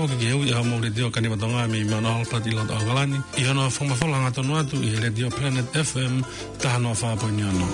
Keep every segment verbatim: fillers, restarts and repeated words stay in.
Foki ki he ui ʻa e Mō Letiō Kanivatonga mei Mount Albert ʻi loto ʻAokalani, ʻi hono fakamafola hangatonu atu ʻi he Letiō Planet F M taha noa fā poini ono.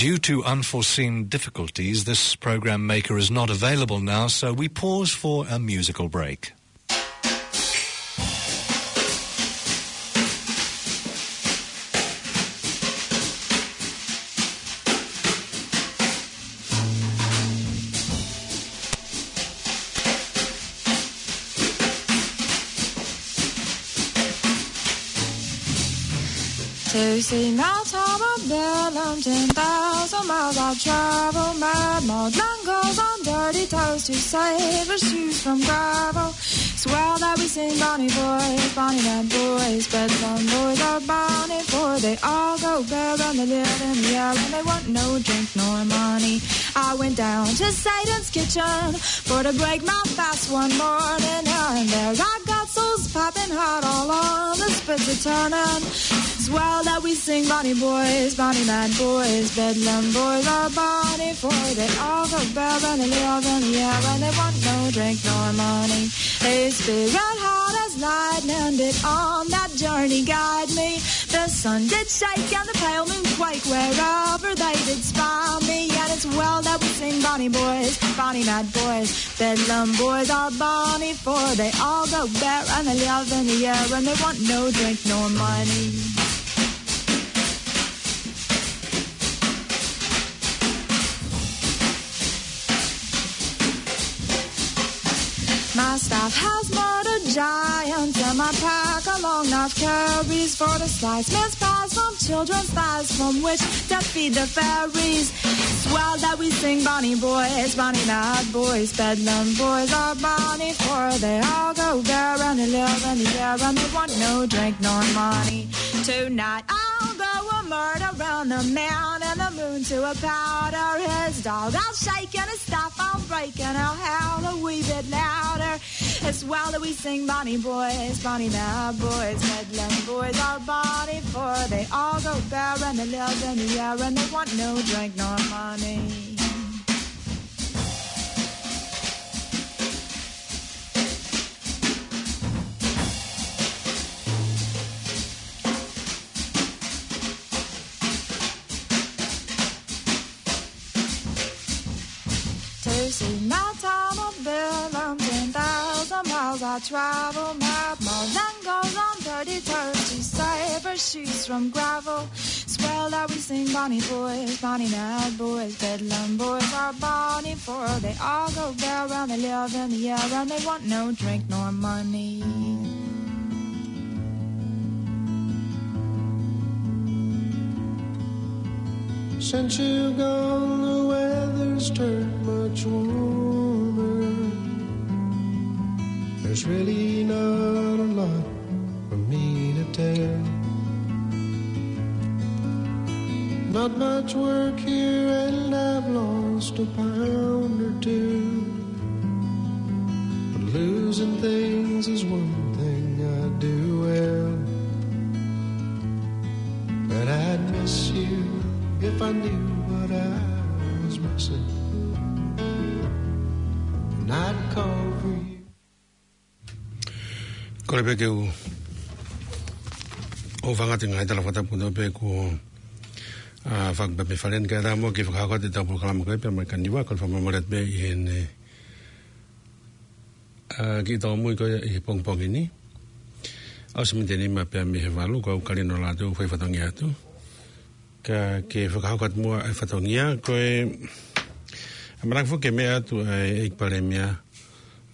Due to unforeseen difficulties, this program maker is not available now, so we pause for a musical break. To see my tower built on ten thousand miles I travel, mad, mad, long goes on dirty toes to save her shoes from gravel. It's well that we sing Bonnie boys, Bonnie mad boys, Bedlam boys are Bonnie, for they all go bare and they live in the air and they want no drink nor money. I went down to Satan's kitchen for to break my fast one morning, and there I got souls popping hot all on the spits a turning. It's well that we sing Bonnie boys, Bonnie mad boys, Bedlam boys are Bonnie, for they all go bare and they live in the air and they want no drink nor money. A spirit hot as lightning did on that journey guide me. The sun did shake and the pale moon quake wherever they did spy me. And it's well that we sing Bonnie boys, Bonnie mad boys, Bedlam boys are Bonnie, for they all go bare and they live in the air and they want no drink nor money. My staff has murdered giants, and my pack a long knife carries for to slice mince pies from children's thighs, from which to feed the fairies. It's well that we sing Bonnie boys, Bonnie mad boys, Bedlam boys are Bonnie, for they all go bare and they live in the air and they want no drink nor money. Tonight I'll go a murder on the man and the moon to a powder. His dog I'll shake and his staff I'll break and I'll howl a wee bit louder. It's well that we sing Bonnie boys, Bonnie mad boys, Bedlam boys are Bonnie, for they all go bare and they live in the air and they want no drink nor money. To see my town of Bedlam, ten thousand miles I travel, my, my land goes on thirty toes to save her shoes from gravel. It's well that we sing Bonnie boys, Bonnie mad boys, Bedlam boys are Bonnie, for they all go bare and they live in the air and they want no drink nor money. Since you've gone, the weather's turned much warmer. There's really not a lot for me to tell. Not much work here, and I've lost a pound or two. But losing things is one thing I do well. But I'd miss you if I knew what I was missing. And I'd call for you. Kole pē ke u ʻoange atu e ngaahi tala fakatapu kotoa pē kuo, ʻa, fakapapē falen ka ʻe taha mo ke fakahoko atu ʻetau polokalama ko ē pea mo e kaniva, kole fakamālō atu pē ʻi heʻene, ʻa, kiʻi tau mui ko ē ʻi he pongipongi ni. ʻAusi miniti ʻe nima pea mei he valu, ko au Kalino Lātū, fai fatongia atu. Ka ke fakahoko atu muʻa e fatongia, ko e, ʻamanaki foki ke meʻa atu ʻa e ʻEiki Palēmia,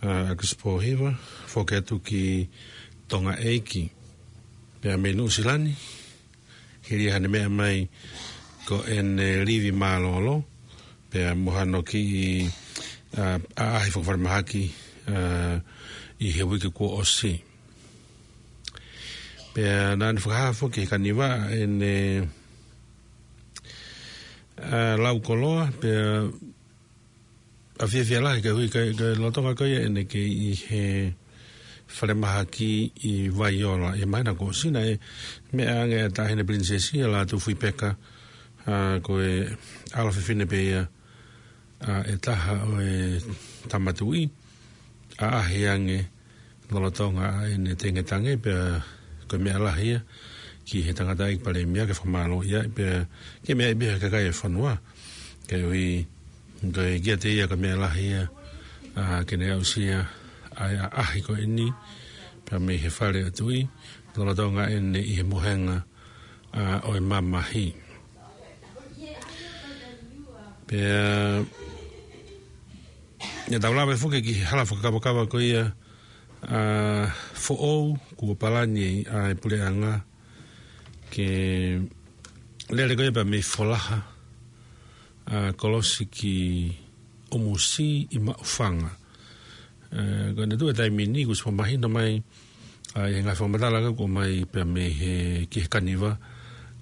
ʻa, ʻAkilisi Pōhiva, foki atu ki Tonga ʻEiki. Pea mei Nuʻusila ni, Hili hano meʻa mai ko ʻene livi mālōlō, pea mo hano kiʻi, ā, ʻaʻahi fakafalemahaki, ā, ʻi he uike kuo ʻosi. Pea naʻa ne fakahā foki he kaniva ʻene, ā, lau koloa, pea ʻa fiefia lahi koeʻuhi ko e, ko e lolotonga ko ia ʻene kei ʻi he falemahaki ʻi Vaiola. ʻI he māhina kuo ʻosi naʻe meʻa ange ʻa e Taʻahine Pilinisesi ʻa Lātūfuipeka, ā, ko e ʻalo fefine pē ia, ā, ʻe taha ʻo e Tama Tuʻi, ʻaʻahi ange lolotonga ʻa ʻene tengetange, pea ko e meʻa lahi ia ki he tangataʻeiki palēmia ke fakamālō ia, pea ke meʻa ia pē he kakai e fonua. Koeʻuhi ko e kiate ia ko e meʻa lahi ia, ā, ke ne aʻusia ʻa e ʻaʻahi ko eni, pea mei he fale ʻo e tuʻi, lolotonga ʻene ʻi he mohenga, ā, ʻo e mamahi. Pea, ʻe tau lave foki ki he hala fakakavakava ko ia, ā, foʻou kuo palani ʻa e puleʻanga ke lele ko ia pea mei Folaha, ā, kolosi ki ʻUmusi ʻi Maʻufanga. Ā, ko ʻene tuʻu he taimi ni kuo ʻosi fakamahino mai, ā, ʻi he ngaahi fakamatala ka kuo ʻomai pea mei he, ki he kaniva,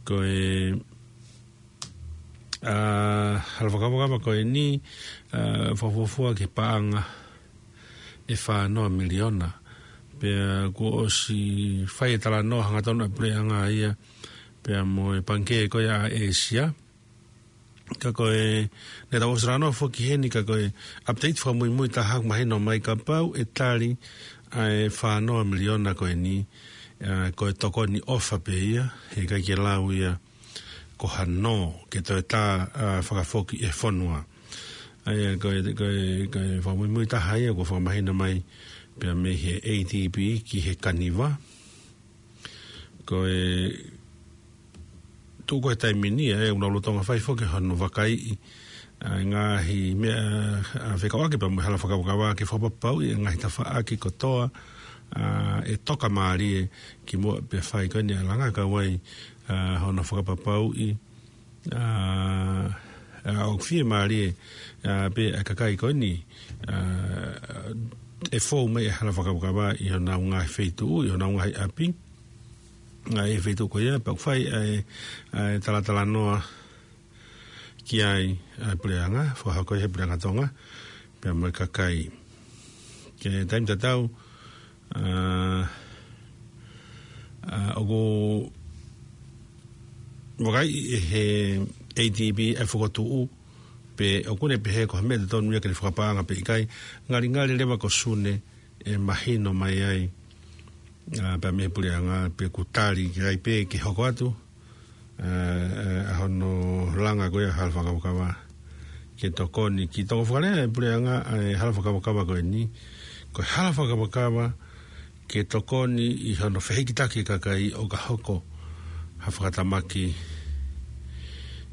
ko e, ā, hala fakakavakava ko eni, ā, fakafuofua ki he paʻanga ʻe fā noa miliona. Pea kuo ʻosi fai e talanoa hangatonu ʻa e puleʻanga ia, pea mo e pangikē ko ia ʻa ʻĒsia. Ka ko e, naʻa tau ʻosi talanoa foki heni, ka ko e update fakamuimui taha ʻoku mahino mai kapau ʻe tali ʻa e fā noa miliona ko eni, ā, ko e tokoni ʻofa pē ia, heʻikai ke lau ia ko ha nō ke toe tā, ā, fakafoki e fonua. ʻA ia, ko e, ko e, ko e fakamuimui taha ia kuo fakamahino mai pea mei he A D B ki he kaniva. Ko e tuʻu ko ē he taimi ni, ē, ʻoku nau lolotonga fai foki hono vakaiʻi ʻa e ngaahi meʻa, ā, fekauʻaki pea mo e hala fakakavakava ke fakapapauʻi e ngaahi tafaʻaki kotoa, ā, ʻe toka mālie kimuʻa pea fai ko eni ʻa e langa, kau ai, ā, hono fakapapauʻi, ā, ā, ʻoku fiemālie, ā, pē ʻa e kakai ko eni, ā, ʻe fou mai e hala fakakavakava ʻi honau ngaahi feituʻu, ʻi honau ngaahi ʻapi. Ā, ʻi he feituʻu ko ia, pea ʻoku fai ʻa e, ā, talatalanoa ki ai ʻa e puleʻanga, fakahoko ʻe he puleʻanga Tonga, pea mo e kakai. Ki he taimi tatau, ā, ā, ʻoku vakaiʻi ʻe he A D B e fokotuʻu, pe ʻoku ne pehē ko ha meʻa totonu ia ke ne fakapaʻanga pe ʻikai, ngalingali leva ko Sune ʻe mahino mai ai, ā, pea mei he puleʻanga pe ʻoku tali ki ai pē ke hoko atu, ā, ā, ʻa hono langa ko ia hala fakakavakava ke tokoni ki toko fakalea e puleʻanga ʻa e hala fakakavakava ko eni, ko e hala fakakavakava ke tokoni ʻi hono fehikitaki e kakai ʻo ka hoko ha fakatamaki,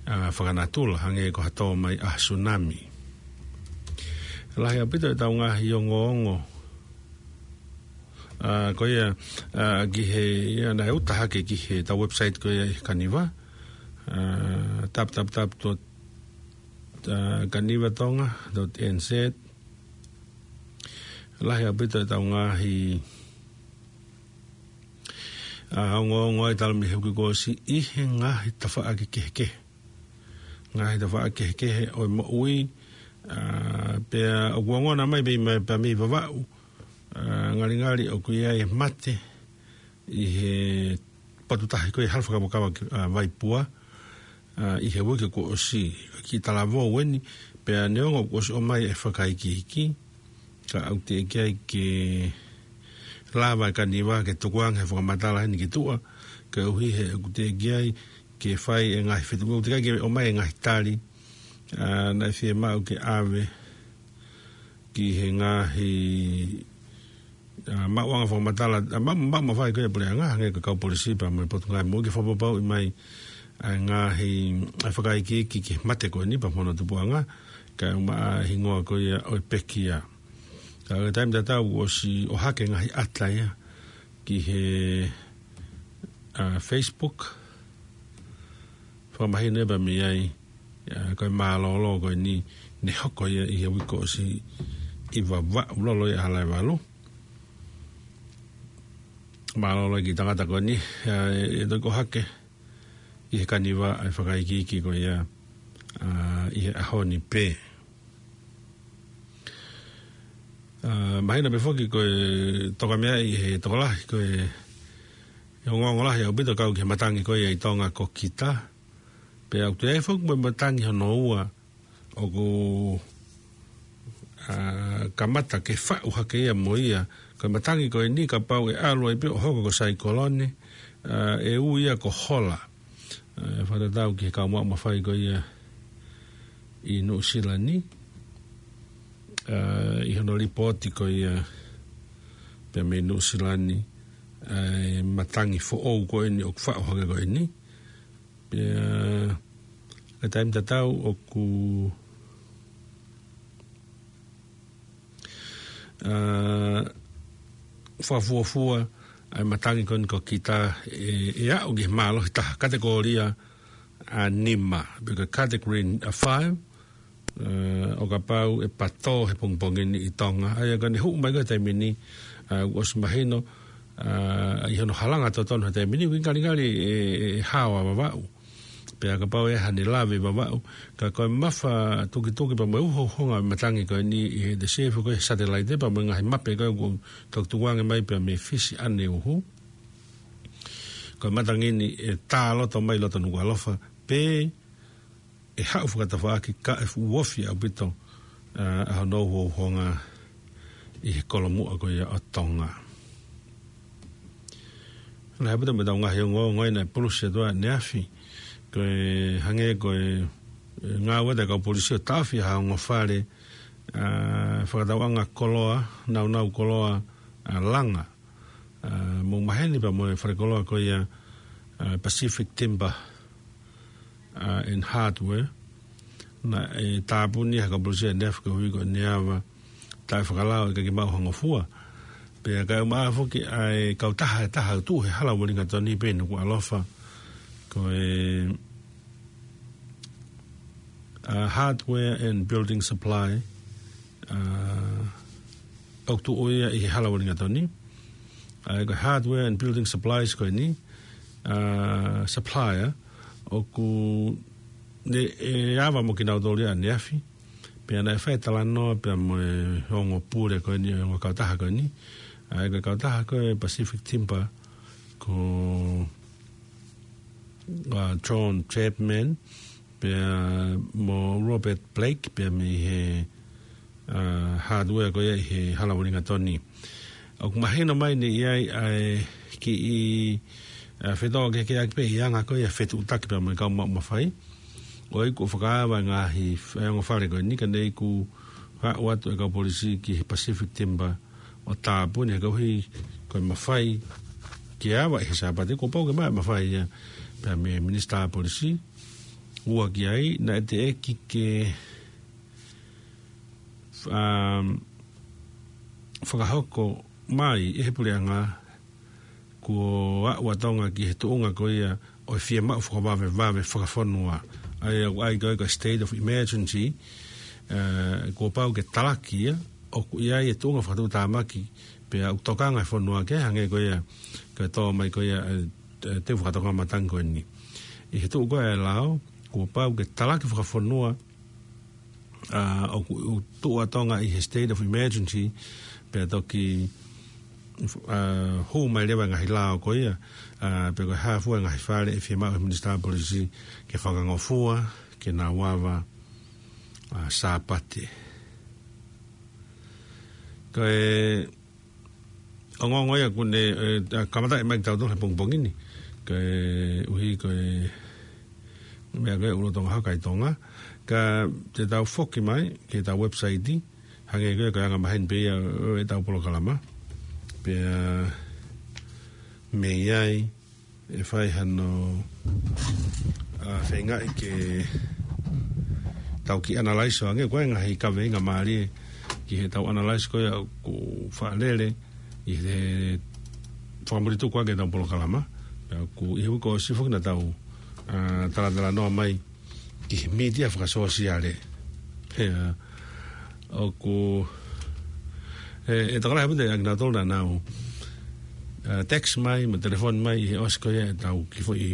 ā, fakanatula hangē ko ha tō mai ʻa e tsunami. Lahi ʻaupito ʻetau ngaahi ongoongo, ā, ko ia, ā, ki he, ia naʻe uta hake ki he tau website ko ia ʻi he kaniva, ā, w w w dot kanivatonga dot n z. Lahi ʻaupito ʻetau ngaahi, ā, ongoongo ʻa e talu mei he uike kuo ʻosi ʻi he ngaahi tafaʻaki kehekehe. Ngaahi tafaʻaki kehekehe ʻo e moʻui, ā, pea ʻoku ongona mai pē mei, pea mei Vavaʻu, ā, ngalingali ʻoku ʻi ai e mate ʻi he potu tahi ko e hala fakakavakava, ā, Vaipua, ā, ʻi he uike kuo ʻosi, kiʻi talavou eni, pea neongo kuo ʻosi ʻomai e fakaikiiki, ka ʻoku teʻeki ai ke lava e kaniva ke tukuange ha fakamatala heni ki tuʻa, koeʻuhi he ʻoku teʻeki ai ke fai e ngaahi fetuʻu, ʻoku teʻeki ai ke ʻomai e ngaahi tali, ā, naʻe fiemaʻu ke ʻave ki he ngaahi, ā, maʻuʻanga fakamatala, ā, ma-, ma-, mafai ko e puleʻanga, hangē ko e kau polisi pea mo e Potungāue Moʻui ke fakapapauʻi mai ʻa e ngaahi, ʻa e fakaikiiki ki he mate ko eni pea mo hono tupuʻanga, kae ʻumaʻā e hingoa ko ia ʻo e pekia. Ka ko e taimi tatau kuo ʻosi ʻohake ngaahi ʻata ia ki he, ā, Facebook, fakamahino pē mei ai, ʻa, ko e mālōlō ko eni ne hoko ia ʻi he uike kuo ʻosi ʻi Vavaʻu lolotonga ʻa Halaevalu. Mālōlō ki he tangata ko eni, ʻa, ʻe, ʻe toki ʻohake ʻi he kaniva ʻa e fakaikiiki ko ia, ʻa, ʻi he ʻaho ni pē. ʻA, mahino pē foki ko e toka meʻa ʻi he tokolahi ko e, ʻe ongoongo lahi ʻaupito kau ki he matangi ko ia ʻi Tonga ko Kita. Pea ʻoku toe ʻi ai foki mo e matangi hono ua ʻoku, ʻa, kamata ke faʻu hake ia mo ia. Ko e matangi ko eni kapau ʻe ʻalu ai pē ʻo hoko ko e saikolone, ʻa, ʻe ui ia ko Hola. ʻA, fakatatau ki he kau maʻu mafai ko ia ʻi Nuʻusila ni, ʻa, ʻi hono lipooti ko ia pē mei Nuʻusila ni, ʻa, e matangi foʻou ko eni ʻoku faʻu hake ko eni. Pea, ʻa, taimi tatau ʻoku, ʻa, fakafuofua ʻa e matangi ko eni ko Kita ʻe, ʻe aʻu ki he mālohi taha, katekōlia ʻa nima, pe ko e category ʻa five, ʻa, ʻo kapau ʻe patō he pongipongi ni ʻi Tonga. ʻA ia ka ne hū mai ko e taimi ni, ʻa, ʻosi mahino, ʻa, ʻi hono halanga totonu he taimi ni, ʻoku ngalingali ʻe, ʻe, ʻe hao ʻa Vavaʻu. Pea kapau ʻe hane lave Vavaʻu, ka ko e mafa tukituki pea mo e uhouhonga matangi ko eni ʻi he te sēfu ko e satellite pea mo e ngaahi mape ko e kuo toki tukuange mai pea mei Fisi ʻaneuhu. Ko e matangi ni ʻe tā loto mai loto Nukuʻalofa, pea ʻe haʻu fakatafaʻaki ka ʻe fuʻu ofi ʻaupito, ʻa, ʻa hono uhouhonga ʻi he kolomuʻa ko ia ʻo Tonga. Lahi ʻaupito mo ʻetau ngaahi ongoongo ʻi he pulusi atu ʻaneafi. Ko e hangē ko e, ʻe ngāue ʻa e kau polisi ʻo taʻofi ha ongo fale, ʻa, fakatauʻanga koloa, naunau koloa, ʻa, langa. ʻA, mou maheni pea mo e fale koloa ko ia, ʻa, Pacific Timber, ʻa, and Hardware. Naʻe tāpuni ʻe he kau polisi ʻaneafi koeʻuhi ko e ava taʻefakalao ʻikai ke maʻu ha ngofua. Pea ka ʻe maʻu foki ʻa e kautaha ʻe taha ʻoku tuʻu he hala ʻo Uelingatoni pea Nukuʻalofa. Ko e, ʻa, Hardware and Building Supply, ʻa, ʻoku tuʻu ia ʻi he hala ʻo Uelingatoni. ʻA, ko e Hardware and Building Supplies ko eni, ʻa, supplier, ʻoku ne, ʻe ava mo kinautolu ia ʻaneafi. Pea naʻe fai talanoa pea mo e ongo pule ko eni, ongo kautaha ko eni. ʻA, ko e kautaha ko e Pacific Timber, ko, ʻa, John Chapman, pea mo Robert Blake, pea mei he, ʻa, Hardware ko ia ʻi he hala ʻo Uelingatoni. ʻOku mahino mai ne ʻi ai ʻa e kiʻi, ʻa, fetōkehekeheʻaki pē ʻi he anga ko ia fetuʻutaki pea mo e kau maʻu mafai. ʻOku fakaava ngaahi f-, ʻa e ongo fale ko eni ka ne ʻoku haʻu atu e kau polisi ki he Pacific Timber ʻo tāpuni he koeʻuhi ko e mafai ke ava ʻi he Sāpate, kuo pau ke maʻu e mafai ia pea mei he Minisitā Polisi. Ua ki ai, naʻe teʻeki ke, um, fakahoko mai ʻe he puleʻanga kuo aʻu ʻa Tonga ki he tuʻunga ko ia ʻo e fiemaʻu fakavavevave fakafonua. ʻA ia ʻoku ʻai ko e ko e state of emergency, ʻa, kuo pau ke talaki ia, ʻoku ʻi ai e tuʻunga fakatuʻutāmaki, pea ʻoku tokanga e fonua ke hangē ko ia, ko e tō mai ko ia, ʻe, ʻe, teu fakatokanga matangi ko eni. ʻI he tuʻu ko e lao, kuo pau ke talaki fakafonua, ʻa, ʻoku, ʻoku tuʻu ʻa Tonga ʻi he state of emergency, pea toki, ʻa, hū mai leva e ngaahi lao ko ia, ʻa, pe ko e hā fua e ngaahi fale ʻe fiemaʻu ʻe he Minisitā Polisi ke fakangofua, ke nau ava, ʻa, Sāpate. Ko e ongoongo ia ʻoku ne, ʻe, ʻa, kamata ʻe mai ki tautolu he pongipongi ni. Koeʻuhi ko e meʻa ko e ʻUlutonga Haka ʻi Tonga. Ka te tau foki mai ki heʻetau website, hangē ko e ko e anga maheni pē ia ʻo ʻetau polokalama. Pea mei ai, ʻe fai hano, ʻa, feingaʻi ke tau kiʻi analyze ʻo hangē ko e ngaahi kaveinga mālie ki heʻetau analyze ko ia ʻoku faʻa lele ʻi he fakamulituku ʻaki ʻetau polokalama. Pea ʻoku ʻi he uike kuo ʻosi foki naʻa tau ʻa, talatalanoa mai ki he mītia fakasōsiale. He, ʻa, ʻoku, ʻe, ʻe tokolahi ʻaupito ʻa kinautolu naʻa nau, ʻa, text mai, mo telefoni mai ʻi he ʻosi ko ia ʻetau kiʻi foʻi,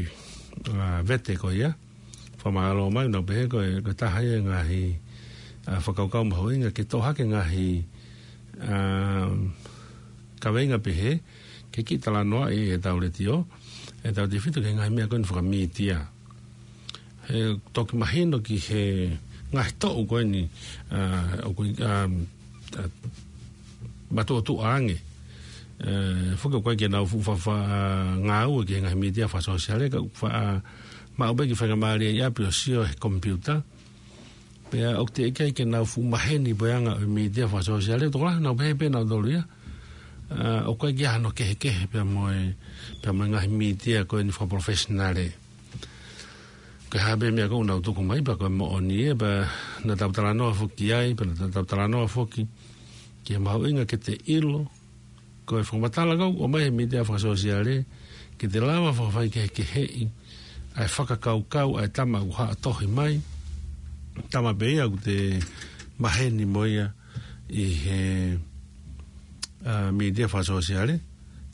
ʻa, vete ko ia. Fakamālō mai, nau pehē ko e, ko e taha ia e ngaahi, ʻa, fakakaukau mahuʻinga ke toʻo hake ngaahi, ʻa, kaveinga pehē, ke kiʻi talanoaʻi ʻetau letiō, ʻetau tefito ki he ngaahi meʻa ko eni fakamītia. He toki mahino ki he ngaahi toʻu ko eni, ʻa, ʻoku, ʻa, ʻa, matuʻotuʻa ange. ʻE, foki ʻoku ʻikai ke nau fuʻu fa-, fa-, ngāue ki he ngaahi mītia fakasōsiale, ka ʻoku fa-, ʻa, maʻu pē e kiʻi faingamālie ʻi ʻapi ʻo sio he komipiuta. Pea ʻoku teʻeki ai ke nau fuʻu maheni puleʻanga ʻo e mītia fakasōsiale, tokolahi nau pehē pē nautolu ia. ʻA, ʻoku ʻikai ke ʻi ai hano kehekehe pea mo e, pea mo e ngaahi mītia ko eni fakapalofesinale. Ko e hā pē meʻa ʻoku nau tuku mai, pea ko e moʻoni ē, pea naʻa tau talanoa foki ai, pea naʻa tau talanoa foki ki he mahuʻinga ke te ʻilo, ko e fakamatala ʻoku ʻomai he mītia fakasōsiale, ke te lava fakafaikehekeheʻi ʻa e fakakaukau ʻa e tama ʻoku haʻa tohi mai, tama pē ia ʻoku te maheni mo ia ʻi he, ʻa, mītia fakasōsiale,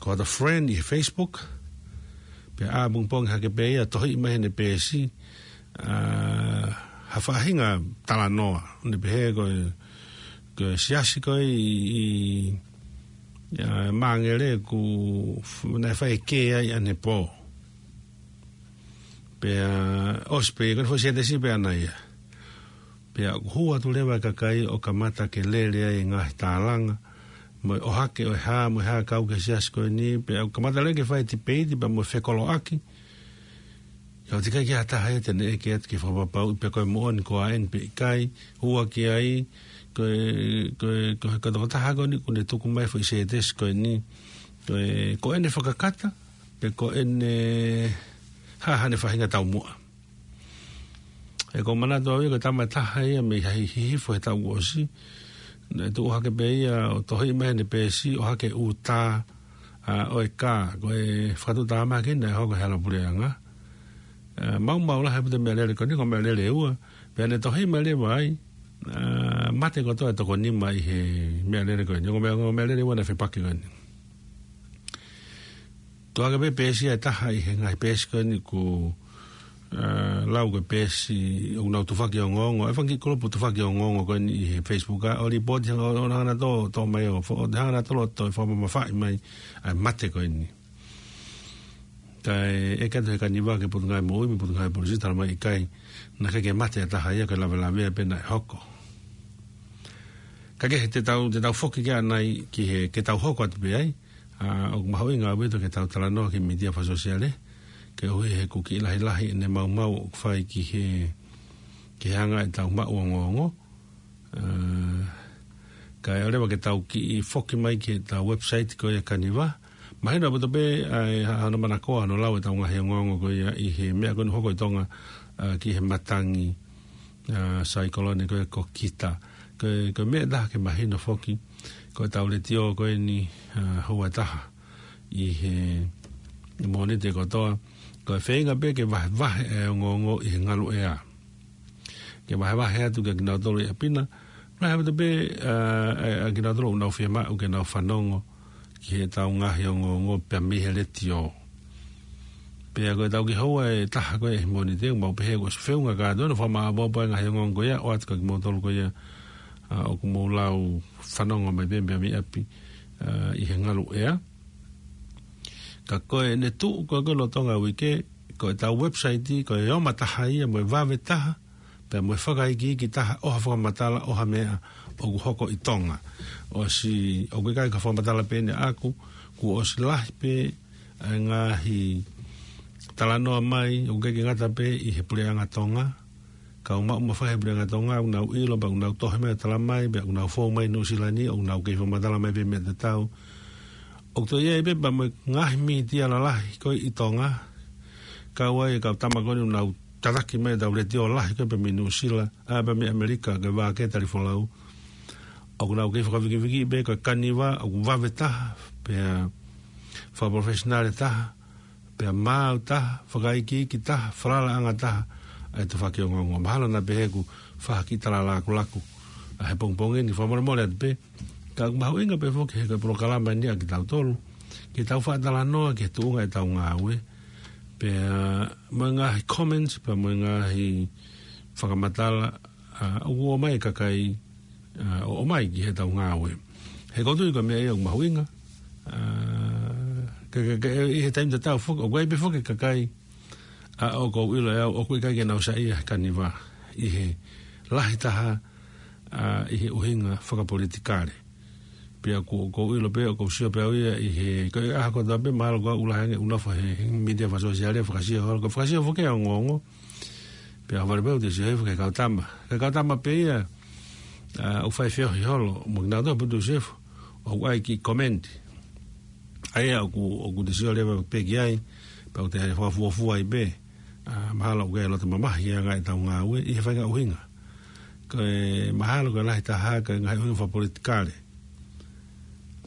ko hota friend ʻi he Facebook, pea ʻapongipongi hake pē ia tohi mai heʻene peesi, ʻa, ha faʻahinga talanoa, ʻo ne pehē ko e, ko e siasi ko ē ʻi, ʻi, ʻa, Māngere ʻoku f-, naʻe fai e kē ai ʻanepō. Pea ʻosi pē, ko ʻene foʻi sētesi pē ʻana ia. Pea ʻoku hū atu leva e kakai ʻo kamata ke lele ai e ngaahi tālanga, mo e ʻohake ʻo e hā, mo e hā kau ki he siasi ko eni, pea ʻoku kamata leva ke fai tipeiti, pea mo e fekoloʻaki. ʻIo, ʻoku ʻikai ke ʻi ai ha taha ia te ne ʻeke atu ke fakapapauʻi pe ko e moʻoni koā eni pe ʻikai, hū hake ai, ko e, ko e, ko e, ko e tokotaha ko eni ʻoku ne tuku mai e foʻi sētesi ko eni, ko e, ko ʻene fakakata, pe ko ʻene hā haʻane faʻahinga taumuʻa. ʻE, ʻoku ou manatu au ia ko e tama ʻe taha ia mei Hihifo, Hihifo he taʻu kuo ʻosi. Naʻe tuʻu hake pē ia ʻo tohi mai heʻene peesi, ʻohake e ʻū tā, ʻa, ʻo e kā, ko e fakatuʻutāmaki naʻe hoko he hala puleʻanga. ʻA, maumau lahi ʻaupito e meʻalele ko eni, ko e meʻalele ʻe ua, pea ne tohi mai leva ai, ʻa, mate kotoa e toko nima ʻi he meʻalele ko eni, ko e meʻa, ko e meʻalele ʻe ua naʻe fepaki ko eni. Tuʻu hake pē peesi ʻe taha ʻi he ngaahi peesi ko eni ʻoku, ʻa, lau ko e peesi ʻoku nau tufaki ongoongo, e fanga kiʻi kulupu tufaki ongoongo ko eni ʻi he Facebook, ʻa, ʻo lipooti hanga ʻo, ʻo hanga ʻo tō, tō mai ʻo fo-, ʻo hanga ʻo tō loto ʻo fakamamafaʻi mai ʻa e mate ko eni. Kae ʻeke atu he Kaniva ki he Potungāue Moʻui mo e Potungāue Polisī, talamai ʻikai, naʻe ʻikai ke mate ha taha ia, ko e lavelavea pē naʻe hoko. Ka kehe, te tau, te tau foki ki ai ʻanai ki he, ke tau hoko atu pē ai, ʻa, ʻoku mahuʻinga ʻaupito ke tau talanoa ki he mītia fakasōsiale, koeʻuhi he ʻoku kiʻi lahilahi ʻene maumau ʻoku fai ki he, ki he anga ʻetau maʻu ongoongo. ʻA, kae ʻoua leva ke tau kiʻi foki mai ki heʻetau website ko ia Kaniva. Mahino ʻaupito pē, ʻa, ʻa hono manakoa, hono lau ʻetau ngaahi ongoongo ko ia ʻi he meʻa ko eni ʻoku hoko ʻi Tonga, ʻa, ki he matangi, ʻa, saikolone ko ia ko Kita. Ko e, ko e meʻa ʻe taha ke mahino foki, ko ʻetau letiō ko eni, ʻa, houa ʻe taha ʻi he Mōnite kotoa, ko e feinga pē ke vahevahe e ongoongo ʻi he ngalu ʻea. Ke vahevahe atu kia kinautolu ʻi ʻapi na, lahi ʻaupito pē, ʻa, ʻa, ʻa kinautolu ʻoku nau fiemaʻu ke nau fanongo ki heʻetau ngaahi ongoongo pea mei he letiō. Pea ko ʻetau kiʻi houa ʻe taha ko ē ʻi he Mōnite, mau pehē kuo ʻosi feʻunga kātoa hono fakamāʻopoʻopo e ngaahi ongoongo ko ia, ʻoatu kia kimoutolu ko ia, ʻa, ʻoku mou lau fanongo mai pē mei ʻapi, ʻa, ʻi he ngalu ʻea. Ka ko ʻene tuʻu ko ē ko e lolotonga e uike, ko ʻetau website, ko e ʻomai taha ia, mo e vave taha, pea mo e fakaikiiki taha ʻo ha fakamatala ʻo ha meʻa ʻoku hoko ʻi Tonga. ʻOsi, ʻoku ʻikai ko e fakamatala pē eni ʻaʻaku, kuo ʻosi lahi pē ʻa e ngaahi talanoa mai, ʻoku ʻikai ke ngata pē ʻi he puleʻanga Tonga, kau maʻu mafai he puleʻanga Tonga, ʻoku nau ʻilo, pea ʻoku nau tohi mai ʻo talamai, pea ʻoku nau fou mai Nuʻusila ni, ʻoku nau kei fakamatala mai pē meʻa tatau. ʻOku toe ʻi ai pē pea mo e ngaahi mītia lalahi ko ē ʻi Tonga, kau ai e kau tama ko eni ʻoku nau tataki mai ʻetau letiō lahi ko ē pea mei Nuʻusila, ʻa, pea mei ʻAmelika, ko e Vākē Talifolau. ʻOku nau kei fakavikivikiʻi pē ko e Kaniva, ʻoku vave taha, pea fakapalofesinale taha, pea maau taha, fakaikiiki taha, falalaʻanga taha ʻa e tufaki ongoongo. Mahalo naʻa pehē ʻoku fai ha kiʻi tala lakulaku ʻa e pongipongi ni, fakamolemole atu pē. Ka ʻoku mahuʻinga pē foki he ko e polokalama ni ʻa kitautolu, ke tau faʻa talanoa ki he tuʻunga ʻetau ngāue, pea mo e ngaahi comments, pea mo e ngaahi fakamatala, ʻa, ʻoku ʻomai e kakai, ʻa, ʻo ʻomai ki heʻetau ngāue. He ʻoku ou tui ko e meʻa ia ʻoku mahuʻinga, ʻa, ka, ka, ka, ʻi he taimi tatau foki, ʻoku ʻi ai pē foki e kakai, ʻa, ʻoku ou ʻilo ʻe au, ʻoku ʻikai ke nau saiʻia he Kaniva ʻi he lahi taha, ʻa, ʻi he ʻuhinga fakapolitikale. Pea ʻoku, ʻoku ou ʻilo pē, ʻoku ou sio pē au ia ʻi he, ko e ʻaho kotoa pē, mahalo ko au ʻoku lahi ange ʻeku nofo he, he mītia fakasōsiale, fakasio holo, ko e fakasio foki ʻa e ongoongo. Pea ʻohovale pē ʻoku te sio hifo ki he kau tama. Ki he kau tama pē ia, ʻa, ʻoku fai feohi holo mo kinautolu, pea ʻoku te sio hifo, ʻoku ʻi ai e kiʻi comment. ʻA ia ʻoku, ʻoku te sio leva pē ki ai, pea ʻoku te fakafuofua ai pē, ʻa, mahalo ʻoku ʻi ai e loto mamahi ʻa e ngaahi ʻetau ngāue ʻi he faʻahinga ʻuhinga. Ko e mahalo ko e lahi taha ko e ngaahi ʻuhinga fakapolitikale.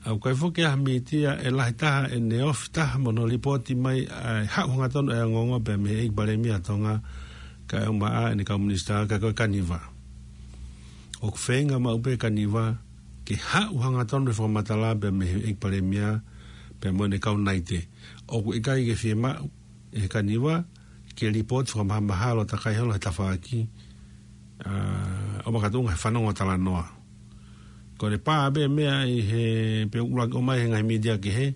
ʻOku ʻikai foki ha mītia ʻe lahi taha ʻene ofi taha mo hono lipooti mai ʻa e haʻu hangatonu ʻa e ongoongo pea mei he ʻEiki Palēmia ʻa Tonga, kae ʻumaʻā ʻene kau minisitā, ka ko e Kaniva. ʻOku feinga maʻu pē Kaniva ke haʻu hangatonu e fakamatala pea mei he ʻEiki Palēmia, pea mo ʻene kau naite. ʻOku ʻikai ke fiemaʻu ʻe he Kaniva ke lipooti fakamahamahalo takai holo he tafaʻaki, ʻa, ʻo makatuʻunga he fanongo talanoa. Ko ʻene pā pē meʻa ʻi he, pea ʻuluaki ʻomai he ngaahi mītia kehe,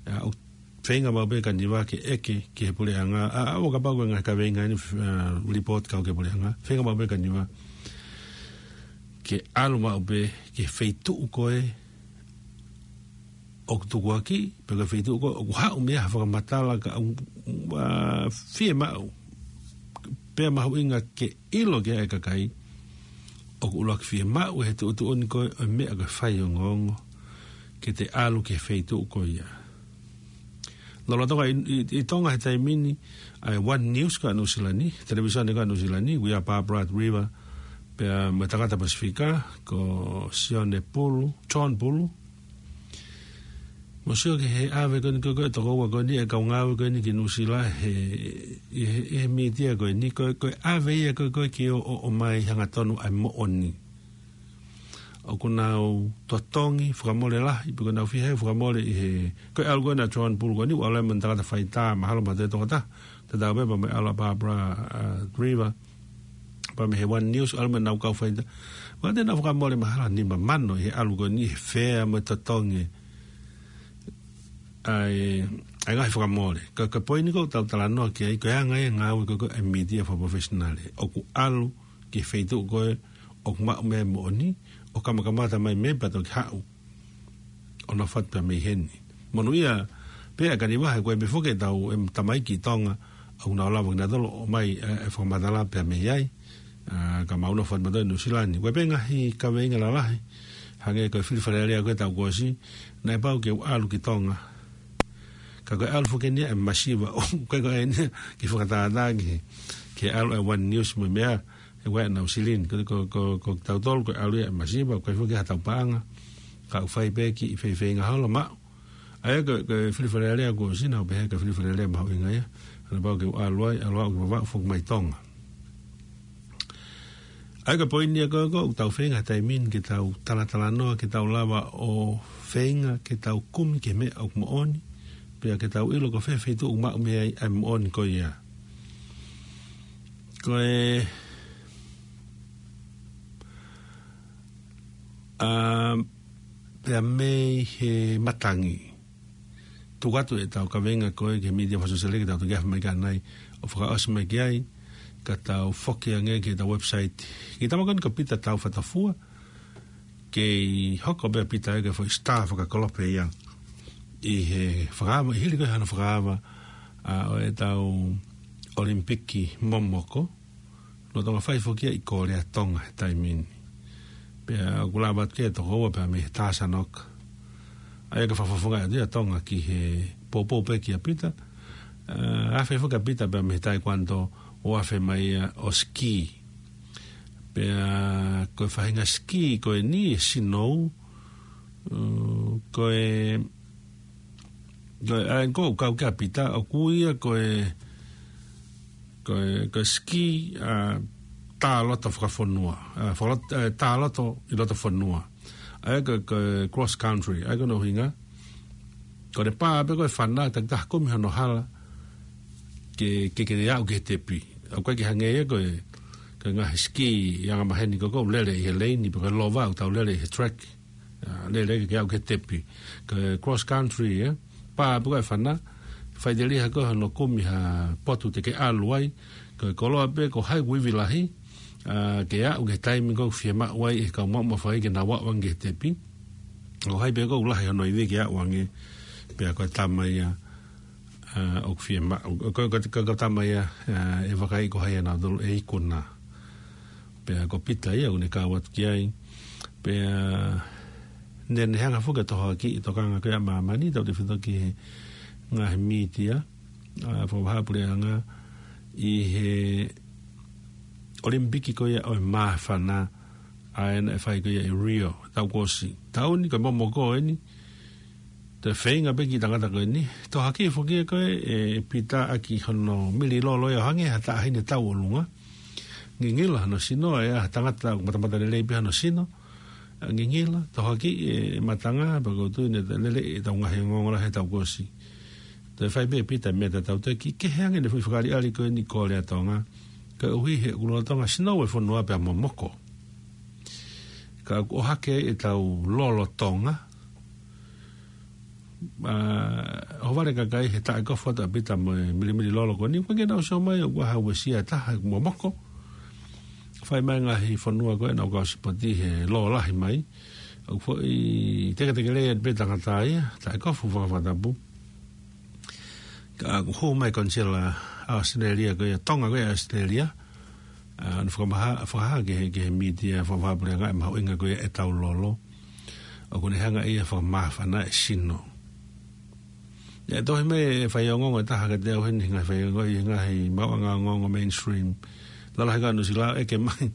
ʻa, ʻoku feinga maʻu pē Kaniva ke ʻeke ki he puleʻanga, ʻa, ʻa, ʻo kapau ko e ngaahi kaveinga ni, ʻa, lipooti kau ki he puleʻanga, feinga maʻu pē Kaniva ke ʻalu maʻu pē ki he feituʻu ko ē ʻoku tukuakiʻi, pe ko e feituʻu ko ē ʻoku haʻu mei ai ha fakamatala ka ʻoku, ʻa, fiemaʻu, pea mahuʻinga ke ʻilo ki ai e kakai, ʻoku ʻuluaki fiemaʻu he tuʻutuʻuni ko ē ʻo e meʻa ko e faiongoongo, ke te ʻalu ki he feituʻu ko ia. Lolotonga ʻi, ʻi, ʻi Tonga he taimi ni, ʻa e One News ko ē ʻa Nuʻusila ni, televīsone ko ē ʻa Nuʻusila ni, ʻoku ʻi ai ʻa Barbara River, pea mo e tangata Pasifika, ko Sione Pulu, John Pulu. Mou sio ki he ʻave ko eni ko ē, ko e tokoua ko eni, e kau ngāue ko eni ki Nuʻusila, he, ʻi he, ʻi he mītia ko eni, ko e, ko e ʻave ia ko ē, ko ē ke ʻo, ʻo, ʻomai hangatonu ʻa e moʻoni. ʻOku nau totongi fakamole lahi, pe ʻoku nau fiha fakamole ʻi he, ko e ʻalu ko ena ʻa John Pulu ko eni, ʻoku ʻalu ia mo e tangata faitā, mahalo mo e tangata tokotaha, tatau pē pea mo e ʻalu ʻa Barbara, ʻa, River, pea mei he One News, ʻalu mo ʻenau kau faitā. Pea te nau fakamole mahalo nima mano ʻi he ʻalu ko eni he fea mo e totongi ʻa e, ʻa e ngaahi fakamole. Ko, ko e poini ko ē ʻoku tau talanoa ki ai, ko e anga ia e ngāue ko ē ʻa e mītia fakaprofessional. ʻOku ʻalu ki he feituʻu ko ē ʻoku maʻu mei ai e moʻoni, ʻo kamakamata mai mei ai pea toki haʻu ʻo nofo atu pea mei heni. Monūʻia pē ʻa e Kaniva he ko e meʻa foki ʻetau, ʻetau tamaiki ʻi Tonga, ʻoku nau lava kinautolu ʻo ʻomai e, e fakamatala pea mei ai, ʻa, ka mau nofo atu mautolu ʻi Nuʻusila ni. Ko e pē ngaahi kaveinga lalahi, hangē ko e fili Fale Alea ko ē taʻu kuo ʻosi, naʻe pau ke u ʻalu ki Tonga. Ka ko e ʻalu foki eni ia ʻa e masiva, ʻoku ʻikai ko eni ia ke fakatātā ki he, ki he ʻalu ʻa e One News mo e meʻa, he ʻoku ʻi ai ʻenau silini, ko, ko, ko, ko kitautolu ko e ʻalu ia ʻa e masiva, ʻoku ʻikai foki ha tau paʻanga, ka ʻoku fai pē kiʻi feifeinga holo maʻu. ʻA ia ko, ko e fili Fale Alea kuo ʻosi naʻa ku pehē ko e fili Fale Alea mahuʻinga ia, naʻa pau ke u ʻalu ai, ʻalu au ke Vavaʻu foki mai Tonga. ʻA ia ko e poini ia ko ē ʻoku tau feinga he taimi ni ke tau talatalanoa, ke tau lava ʻo feinga, ke tau kumi ki he meʻa ʻoku moʻoni, pea ke tau ʻilo ko fē feituʻu ʻoku maʻu mei ai ʻa e moʻoni ko ia. Ko e, ʻa, pea mei he matangi. Tuku atu ʻetau kaveinga ko ē ki he mītia fakasōsiale ke tau toki afe mai ki ai ʻo fakaʻosi mai ki ai, ka tau foki ange ki heʻetau website. Kiʻi tama ko eni ko Pita Taufatofua, kei hoko pē ʻa Pita ia ko e foʻi star fakakolope ia ʻi he fakaava, ʻi he hili ko ē hano fakaava, ʻa, ʻo ʻetau ʻOlimipiki momoko, lolotonga fai foki ia ʻi Kōlea Tonga he taimi ni. Pea ʻoku lava atu ki ai e tokoua pea mei he Tāsanoka. ʻA ia ko e fakafofonga atu ia ʻa Tonga ki he poupou pē kia Pita. ʻA, afe foki ʻa Pita pea mei he taekwondo ʻo afe mai ia ʻo ski. Pea ko e faʻahinga ski ko eni, e sinou, ʻū, ko e Ko e, ʻa e ko ʻoku kau ki ai ʻa Pita, ʻoku ui ia ko e, ko e, ko e ski, ʻa, tā loto fakafonua, ʻa, fakalot-, ʻa, tā loto ʻi loto fonua. ʻA ia ko e, ko e cross country, ʻa ia ko hono ʻuhinga. Ko ʻene pā pē ko e fana, takitaha kumi hono hala, ke, ke, ke aʻu ki he tepi. ʻOku ʻikai ke hangē ia ko e, ko e ngaahi ski ʻi angamaheni ko ē ʻoku lele ʻi he leini, pe ko e lova ʻoku tau lele ʻi he track. ʻA, lele ke aʻu ki he tepi. Ko e cross country, ē. Pā pē ko e fana, faʻiteliha ko hono kumi ha potu te ke ʻalu ai, ko e koloa pē ko hai ʻoku ivi lahi, ʻa, ke aʻu ki he taimi ko ē ʻoku fiemaʻu ai ʻe he kau maʻumafa ke nau aʻu ange ki he tepi. Ko hai pē ko ē ʻoku lahi hono ivi ke aʻu ange, pea ko e tama ia, ʻa, ʻoku fiemaʻu, ko, ko, ko, ko e tama ia, ʻa, ʻe vakai ko hai ʻa nautolu ʻe ikuna. Pea ko Pita ia ʻoku ne kau atu ki ai. Pea ne, ne hanga foki ʻo tohoakiʻi e tokanga ko ia ʻa māmani, tautefito ki he ngaahi mītia, ʻa, fakavahaʻapuleʻanga ʻi he ʻOlimipiki ko ia ʻo e māfana, ʻa ē naʻe fai ko ia ʻi Rio, taʻu kuo ʻosi. Taʻu ni ko e momoko eni, te feinga pē kiʻi tangata ko eni. Tohoakiʻi foki ʻe koe, ʻe Pita, ʻaki hono mili lolo ia ʻo hangē ha taʻahine tau ʻolunga. Ngingila hono sino, ʻe ʻi ai ha tangata ʻoku matamatalelei pē hono sino. ʻA, ngingila, tohoakiʻi e matanga, pea ʻoku ou tui naʻe lele ʻetau ngaahi ongoongo lahi he taʻu kuo ʻosi. Toe fai pē ʻe Pita e meʻa tatau, toe kiʻi kehe ange ʻene foʻi fakaʻaliʻali ko eni, kole ʻa Tonga. Koeʻuhi he ʻoku lolotonga sino e fonua pea momoko. Ka ʻoku ʻohake ai ʻetau lolotonga. ʻA, ʻohovale e kakai he taʻe kofu atu ʻa Pita mo e milimili lolo ko eni, ʻoku ʻikai ke nau sio mai ʻoku ʻi ai ha uesia ʻe taha, ʻoku momoko. Fai mai e ngaahi fonua ko ē naʻa nau kau sipoti he lōlahi mai. ʻOku foʻi teketekelei atu pē tangata ia, taʻe kofu fakafakatapu. Ka ʻoku hū mai e konisela ʻa ʻAositelēlia ko ia, Tonga ko ia ʻAositelēlia. ʻA, ʻo ne fakamaha-, fakahā ki he, ki he mītia fakavahaʻapuleʻanga e mahuʻinga ko ia ʻetau lolo. ʻOku ne hanga ia ʻo fakamāfana e sino. ʻE tohi mai e faiongoongo ʻe taha kiate au heni, ngaahi faiongoongo ʻi he ngaahi maʻuʻanga ongoongo mainstream. Lalahi ka Nuʻusila ʻeke mai.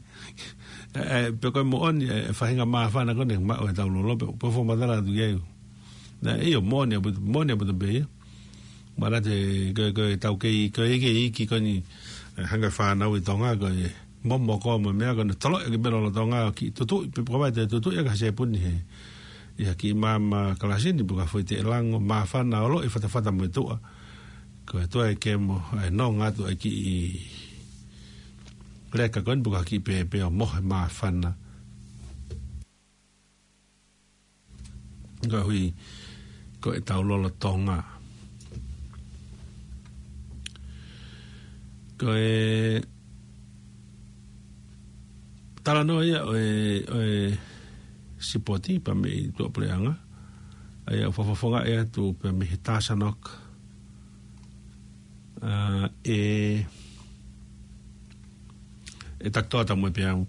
ʻE, ʻe, pe ko e moʻoni e, e faʻahinga māfana ko eni ʻoku maʻu ʻe heʻetau lolo, pe, pe fakamatala atu ki ai. Naʻe ʻio, moʻoni ʻaupito, moʻoni ʻaupito pē ia. Mana te, ko, ko ʻetau kei, ko e iiki, iiki ko eni, ʻe, hanga ʻe he fānau ʻi Tonga, ko e momoko mo e meʻa ko eni, toloʻi ʻaki pē lolotonga, kiʻi tutuʻi, pe ko e vai te tutuʻi ʻaki ha sepuni he, ʻi ha kiʻi maama kalasi ni, pe ko ha foʻi teʻelango, māfana ʻo loʻi fatafata mo e tuʻa. Ko e tuʻa e kemo, ʻe nonga atu e kiʻi leka ko eni pe ko ha kiʻi pēpē ʻo mohe māfana. Koeʻuhi ko ʻetau lolotonga. Ko e talanoa ia ʻo e, ʻo e sipoti pea mei tuʻapuleʻanga. ʻA ia ʻoku fakafofongaʻi atu pea mei he Tāsanoka. ʻA, ʻe, ʻe Takitoa Taumuʻepeau,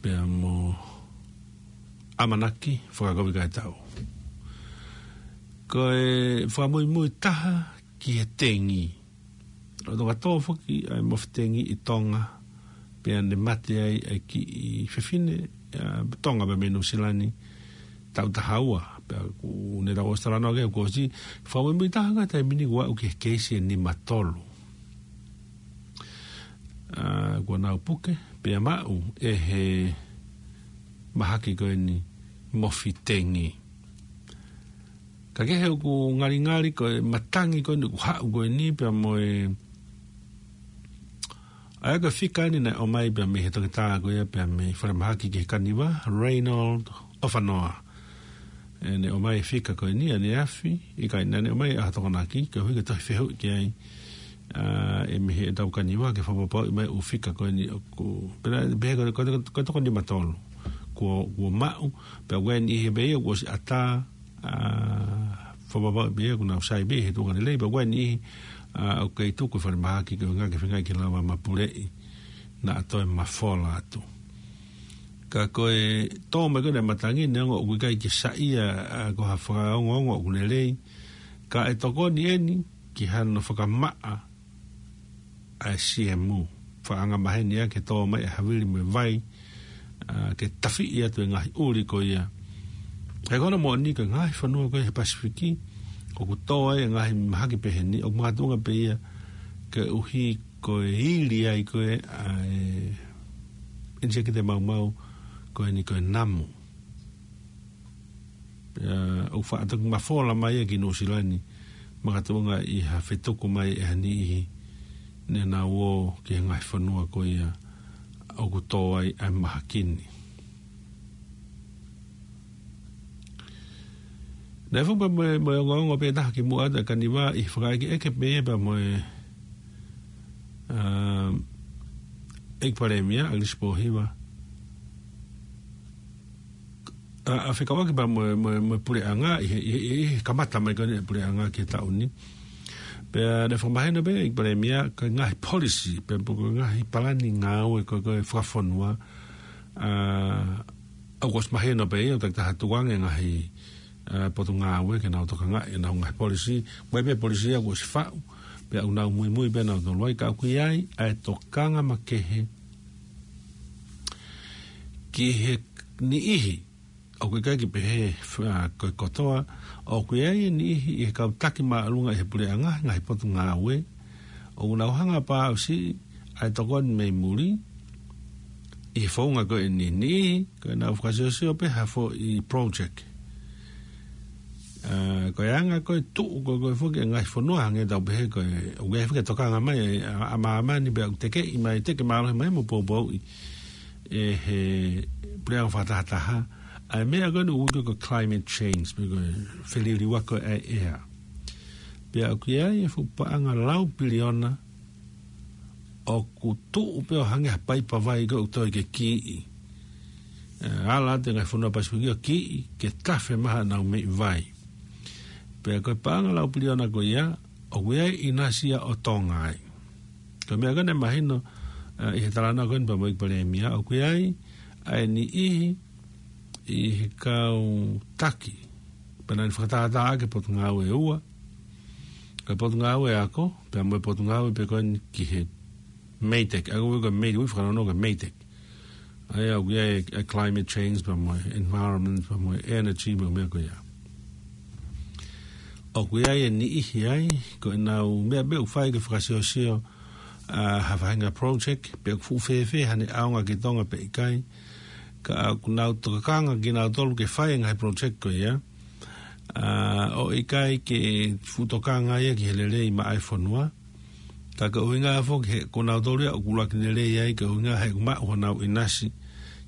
pea mo ʻAmanaki Fakakovi Kaitau. Ko e fakamuimui taha ki he tengi. Lolotonga tō foki ʻa e mofi tengi ʻi Tonga, pea ne mate ai ʻa e kiʻi fefine, ʻa, Tonga pea mei Nuʻusila ni, taʻu taha ua, pea ʻoku ne tau ʻosi talanoa ki ai kuo ʻosi, fakamuimui taha ngaahi taimi ni kuo aʻu ki he keisi ʻe nima tolu. ʻA, kuo nau puke, pea maʻu ʻe he mahaki ko eni mofi tengi. Ka kehe ʻoku ngalingali ko e matangi ko eni ʻoku haʻu ko eni pea mo e, ʻa ia ko e fika eni naʻe ʻomai pea mei he toketā ko ia pea mei falemahaki ki he kaniva, Raynold ʻOfanoa. ʻE, ne ʻomai e fika ko eni ʻaneafi, ʻikai naʻa ne ʻomai ʻa e Tokonaki, koeʻuhi ke tohi fehuʻi ki ai, ʻa, ʻe mei heʻetau kaniva ke fakapapauʻi mai ʻū fika ko eni ʻoku, pea, pea ko, ko, ko, ko e toko nima tolu. Kuo, kuo maʻu, pea ko e niʻihi pē ia kuo ʻosi ʻatā, ʻa, fakapapauʻi pē ia kuo nau sai pē he tuʻunga lelei, pea ko e niʻihi, ʻa, ʻoku kei tuku ʻi falemahaki koeʻuhi ke feinga ke lava mapuleʻi, naʻa toe mafola atu. Ka ko e tō mai ko eni e matangi, neongo ʻoku ʻikai ke saiʻia, ʻa, ko ha fakaongoongo ʻoku lelei, ka ʻe tokoni eni ki hano fakamaʻa ʻa e siemu, fakaangamaheni ʻaki e tō mai e havili mo e vai, ʻa, ke tafiʻi atu e ngaahi ʻuli ko ia. He ko hono moʻoni ko e ngaahi fonua ko ia he Pasifiki, ʻoku tō ai e ngaahi mahaki pehē ni, ʻoku makatuʻunga pē ia koeʻuhi ko e ili ai ko ē ʻa e ʻinisēkita maumau ko eni ko e namu. Pea ʻoku faʻa toki mafola mai ia ki Nuʻusila ni, makatuʻunga ʻi ha fetuku mai ʻe ha niʻihi ne nau ō ki he ngaahi fonua ko ia ʻoku tō ai ʻa e mahaki ni. Naʻe fuʻu pē mo e, mo e ongoongo pē taha kimuʻa atu ʻa Kaniva ʻi he fakaʻekeʻeke pē ia pea mo e, ʻa, ʻEiki Palēmia, ʻAgilisi Pōhiva. ʻA, ʻa fekauʻaki pea mo e, mo e, mo e puleʻanga, ʻi he, ʻi he, ʻi he kamata mai ko eni e puleʻanga ki he taʻu ni. Pea naʻe fakamahino pē ʻEiki Palēmia, ko e ngaahi policy, pea mo e ngaahi palani ngāue ko, ko e fakafonua, ʻa, ʻoku ʻosi mahino pē ia, ʻoku takitaha tukuange ngaahi, ʻa, potungāue ke nau tokangaʻi ʻenau ngaahi policy, mo e pē policy ia kuo ʻosi faʻu, pea ʻoku nau muimui pē nautolu ai, ka ʻoku ʻi ai ʻa e tokanga makehe ki he niʻihi, ʻoku ʻikai ke pehē, ʻa, ko e kotoa, ʻoku ʻi ai e niʻihi ʻi he kau taki māʻolunga ʻi he puleʻanga, ngaahi potungāue, ʻoku nau hanga pē ʻo siʻi ʻa e tokoni mei muli, ʻi he founga ko eni, niʻihi, ko ʻenau fakasiosio pē ha foʻi project. ʻA, ko e anga ko e tuʻu ko, ko e foki e ngaahi fonua hangē tau pehē ko e, ʻoku ʻi ai foki e tokanga mai, ʻa, ʻa māmani pea ʻoku tekeʻi mai, teke mālohi mai mo poupouʻi ʻe he puleʻanga fakatahataha, ʻa e meʻa ko eni ʻoku ui ko e climate change, pe ko e feliliuaki ʻa e ʻea. Pea ʻoku ʻi ai e fuʻu paʻanga lau piliona ʻoku tuʻu pē ʻo hangē ha paipa vai ko ē ʻoku toe ke kiʻi. ʻE, ala atu e ngaahi fonua Pasifiki ʻo kiʻi, ke tafe mai haʻanau meʻi vai. Pea ko e paʻanga lau piliona ko ia, ʻoku ʻi ai e ʻinasi ia ʻo Tonga ai. Ko e meʻa ko ē naʻe mahino, ʻa, ʻi he talanoa ko eni pea mo e ʻEiki Palēmia, ʻoku ʻi ai ʻa e niʻihi ʻi he kau taki, pea naʻa ne fakatātā ʻaki e potungāue ʻe ua, ko e potungāue ako, pea mo e potungāue pē ko eni ki he MEIDECC, ʻa ia ko e MEIDECC, ʻoku fakanonga ko e MEIDECC. ʻA ia ʻoku ʻi ai e, e climate change, pea mo e environment, pea mo e energy, mo e meʻa ko ia. ʻOku ʻi ai e niʻihi ai, ko ʻenau meʻa pē ʻoku fai ke fakasiosio, ʻa, ha faʻahinga project, pe ʻoku fuʻu fēfē haʻane ʻaonga ki Tonga pe ʻikai. Ka ʻoku nau tokanga kinautolu ke fai e ngaahi project ko ia, ʻa, ʻo ʻikai ke fuʻu tokanga ia ki he lelei maʻa e fonua. Ka ko e ʻuhinga foki he ko nautolu ia ʻoku ʻuluaki lelei ai, ko e ʻuhinga he ʻoku maʻu honau ʻinasi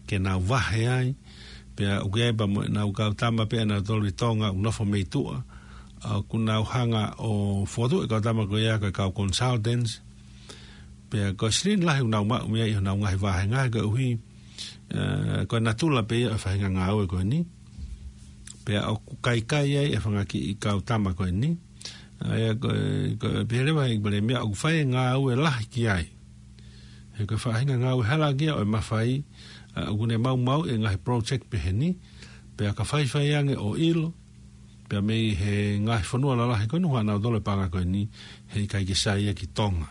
ke nau vahe ai, pea ʻoku ʻi ai pea mo ʻenau kau tama pē ʻanautolu ʻi Tonga ʻoku nofo mei tuʻa, ʻa, ʻoku nau hanga ʻo fokotuʻu e kau tama ko ia ko e kau consultants, pea ko e silini lahi ʻoku nau maʻu mei ai ʻi honau ngaahi vāhenga, koeʻuhi, ʻa, ko e natula pē ia ʻo e faʻahinga ngāue ko eni, pea ʻoku kaikai ai e fanga kiʻi kau tama ko eni, ʻa ia ko e, ko e pehē leva ʻe he ʻEiki Palēmia ʻoku fai e ngāue lahi ki ai. He ko e faʻahinga ngāue hala ki ai ʻo e mafai, ʻa, ʻoku ne maumauʻi e ngaahi project pehē ni, pea ka faifai ange ʻo ʻilo, pea mei he ngaahi fonua lalahi ko eni ʻoku ʻanautolu e paʻanga ko eni, heʻikai ke sai ia ki Tonga.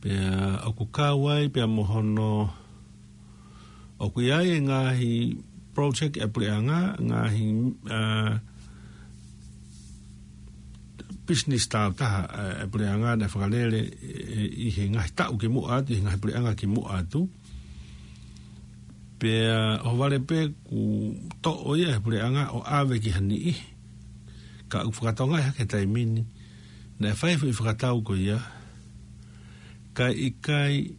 Pea ʻoku kau ai, pea mo hono ʻoku ʻi ai e ngaahi project ʻa e puleʻanga, ngaahi, ʻa, business tāutaha ʻa e puleʻanga naʻe fakalele ʻe, ʻi he ngaahi taʻu kimuʻa atu, ʻi he ngaahi puleʻanga kimuʻa atu. Pea ʻohovale pē kuo toʻo ia ʻe he puleʻanga ʻo ʻave ki ha niʻihi. Ka ʻoku fakatonga ia he taimi ni, naʻe fai e foʻi fakatau ko ia, ka ʻikai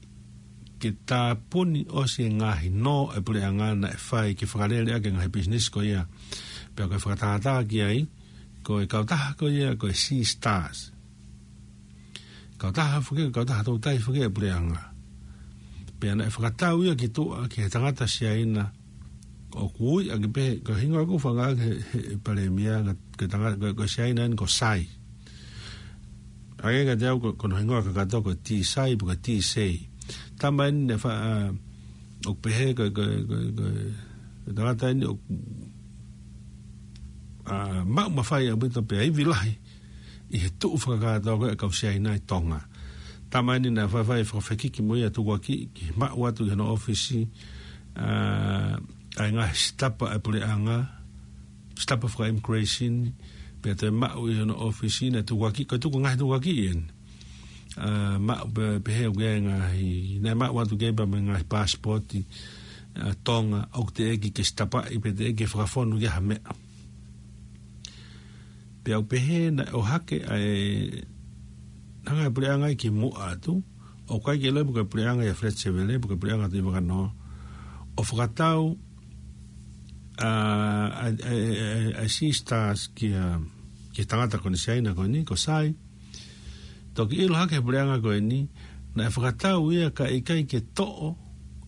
ke tāpuni ʻosi e ngaahi nō ʻa e puleʻanga naʻe fai ke fakalele ʻaki e ngaahi business ko ia. Pea ko e fakatātā ki ai, ko e kautaha ko ia, ko e Sea Stars. Kautaha foki, kautaha toutai foki ʻa e puleʻanga. Pea naʻe fakatau ia ki tuʻa, ki he tangata Siaina, ʻoku ui ʻaki pē, ko e hingoa ʻoku fanga ʻaki ʻe he, he, he Palēmia, ko e tangata, ko, ko Siaina eni ko Sai. ʻA ia kiate au ko, ko hono hingoa kakato ko Tisai, pe ko Tisei. Tama eni naʻe fa-, ʻa, ʻoku pehē ko, ko, ko, ko, ko e tangata eni ʻoku, ʻa, maʻu mafai ʻaupito pea ivi lahi ʻi he tuʻu fakakātoa ko ē ʻa e kau Siaina ʻi Tonga. Tama eni naʻe faifai fakafekiki mo ia tukuakiʻi ke maʻu atu ʻi hono ʻōfisi, ʻa, ʻa e ngaahi sitapa ʻa e puleʻanga, Staff of Immigration, pea toe maʻu ʻi hono ʻōfisi, naʻe tukuakiʻi, ko e tuku ngaahi tukuakiʻi eni. ʻA, maʻu pē, pehē ʻoku ʻi ai e ngaahi, naʻe maʻu atu ki ai pea mo e ngaahi passport, ʻa, Tonga, ʻoku teʻeki ke stamp-ʻi, pe teʻeki ke fakafonu ki ha meʻa. Pea ʻoku pehē naʻe ʻohake ʻa e, hanga ʻe he puleʻanga ia ki muʻa atu, ʻoku ʻikai ke ʻilo pe ko e puleʻanga ia Fletcher Vele, pe ko e puleʻanga Tuʻi Vakanoa, ʻo fakatau, ʻa, ʻa, ʻa, ʻa, ʻa e Sea Stars ki he, ki he tangata ko eni Siaina ko eni, ko Sai. Toki ʻilo hake ʻe he puleʻanga ko eni, naʻe fakatau ia kae ʻikai ke toʻo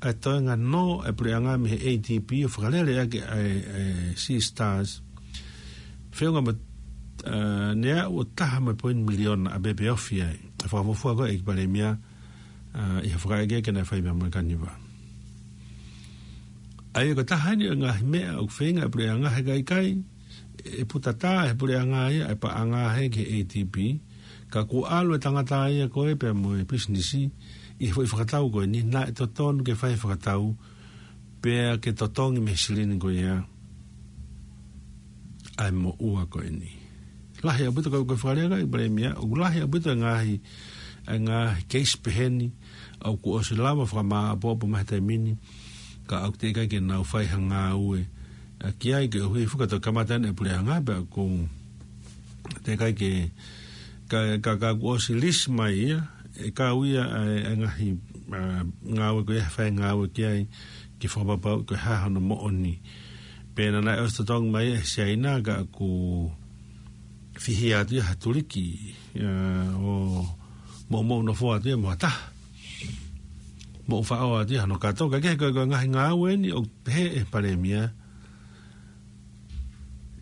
ʻa e toenga nō ʻa e puleʻanga mei he A D B ʻo fakalele ʻaki ʻa e, ʻa e Sea Stars. Feʻunga mo, ʻa, ne aʻu ʻo taha mo e poini miliona ʻa e pepe ofi ai. ʻA e fakafuofua ko ē ʻa e ʻEiki Palēmia, ʻa, ʻi he fakaʻekeʻeke naʻe fai pea mo e Kaniva. ʻA ia ko e taha eni ʻo e ngaahi meʻa ʻoku feinga ʻa e puleʻanga he ka ʻikai, ʻe putatā ʻe he puleʻanga ia ʻa e paʻanga hē ki he A D B, ka kuo ʻalu e tangata ia ko ē pea mo e pisinisi ʻi he foʻi fakatau ko eni, naʻe totonu ke fai e fakatau, pea ke totongi mei he silini ko ia ʻa e moʻua ko eni. Lahi ʻaupito ko e, ko e fakalea ko ē ʻa e Palēmia, ʻoku lahi ʻaupito e ngaahi, e ngaahi case peheni, ʻoku ʻosi lava fakamāʻopoʻopo mai he taimi ni, ka ʻoku teʻeki ai ke nau fai ha ngāue, ʻa, ki ai koeʻuhi fuka to kamata ʻene puleʻanga pea ʻoku teʻeki ai ke, ka, ka, ka kuo ʻosi lisi mai ia, ʻe kau ia ʻa e, ʻa e ngaahi, ʻa, ngāue ko ia, fai ngāue ki ai, ke fakapapauʻi ko e hā hono moʻoni. Pea naʻe ʻosi totongi mai ʻe Siaina ka ʻoku fihia atu ia ha tuliki, ʻa, ʻo moʻumoʻu nofoa atu ia mo ha taha. Moʻufaʻo atu ia hano kato, ka kehe ko e, ko e ngaahi ngāue eni ʻoku pehē ʻe he Palēmia,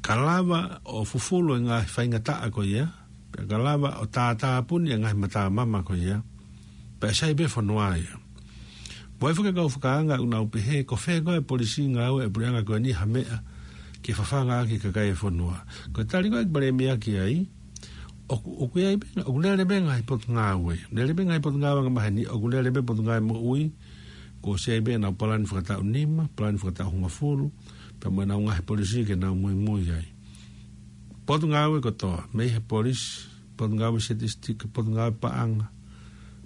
ka lava ʻo fufulu e ngaahi faingataʻa ko ia, pea ka lava ʻo tātāpuni e ngaahi matamama ko ia, pea sai pē fonua ia. Pea ʻi ai foki e kau fakaanga ʻoku nau pehē, ko fē koā e polisī ngāue ʻa e puleʻanga ko eni ha meʻa ke fafanga ʻaki e kakai e fonua. Ko e tali ko ē ʻa e Palēmia ki ai, ʻoku, ʻoku ʻi ai pē, ʻoku lele pē ngaahi potungāue. Lele pē ngaahi potungāue angamaheni, ʻoku lele pē potungāue moʻui, kuo ʻosi ʻi ai pē ʻenau palani fakataʻu nima, palani fakataʻu hongofulu, pea mo ʻenau ngaahi polisī ke nau muimui ai. Potungāue kotoa, mei he polisi, potungāue siatisitiki, potungāue paʻanga,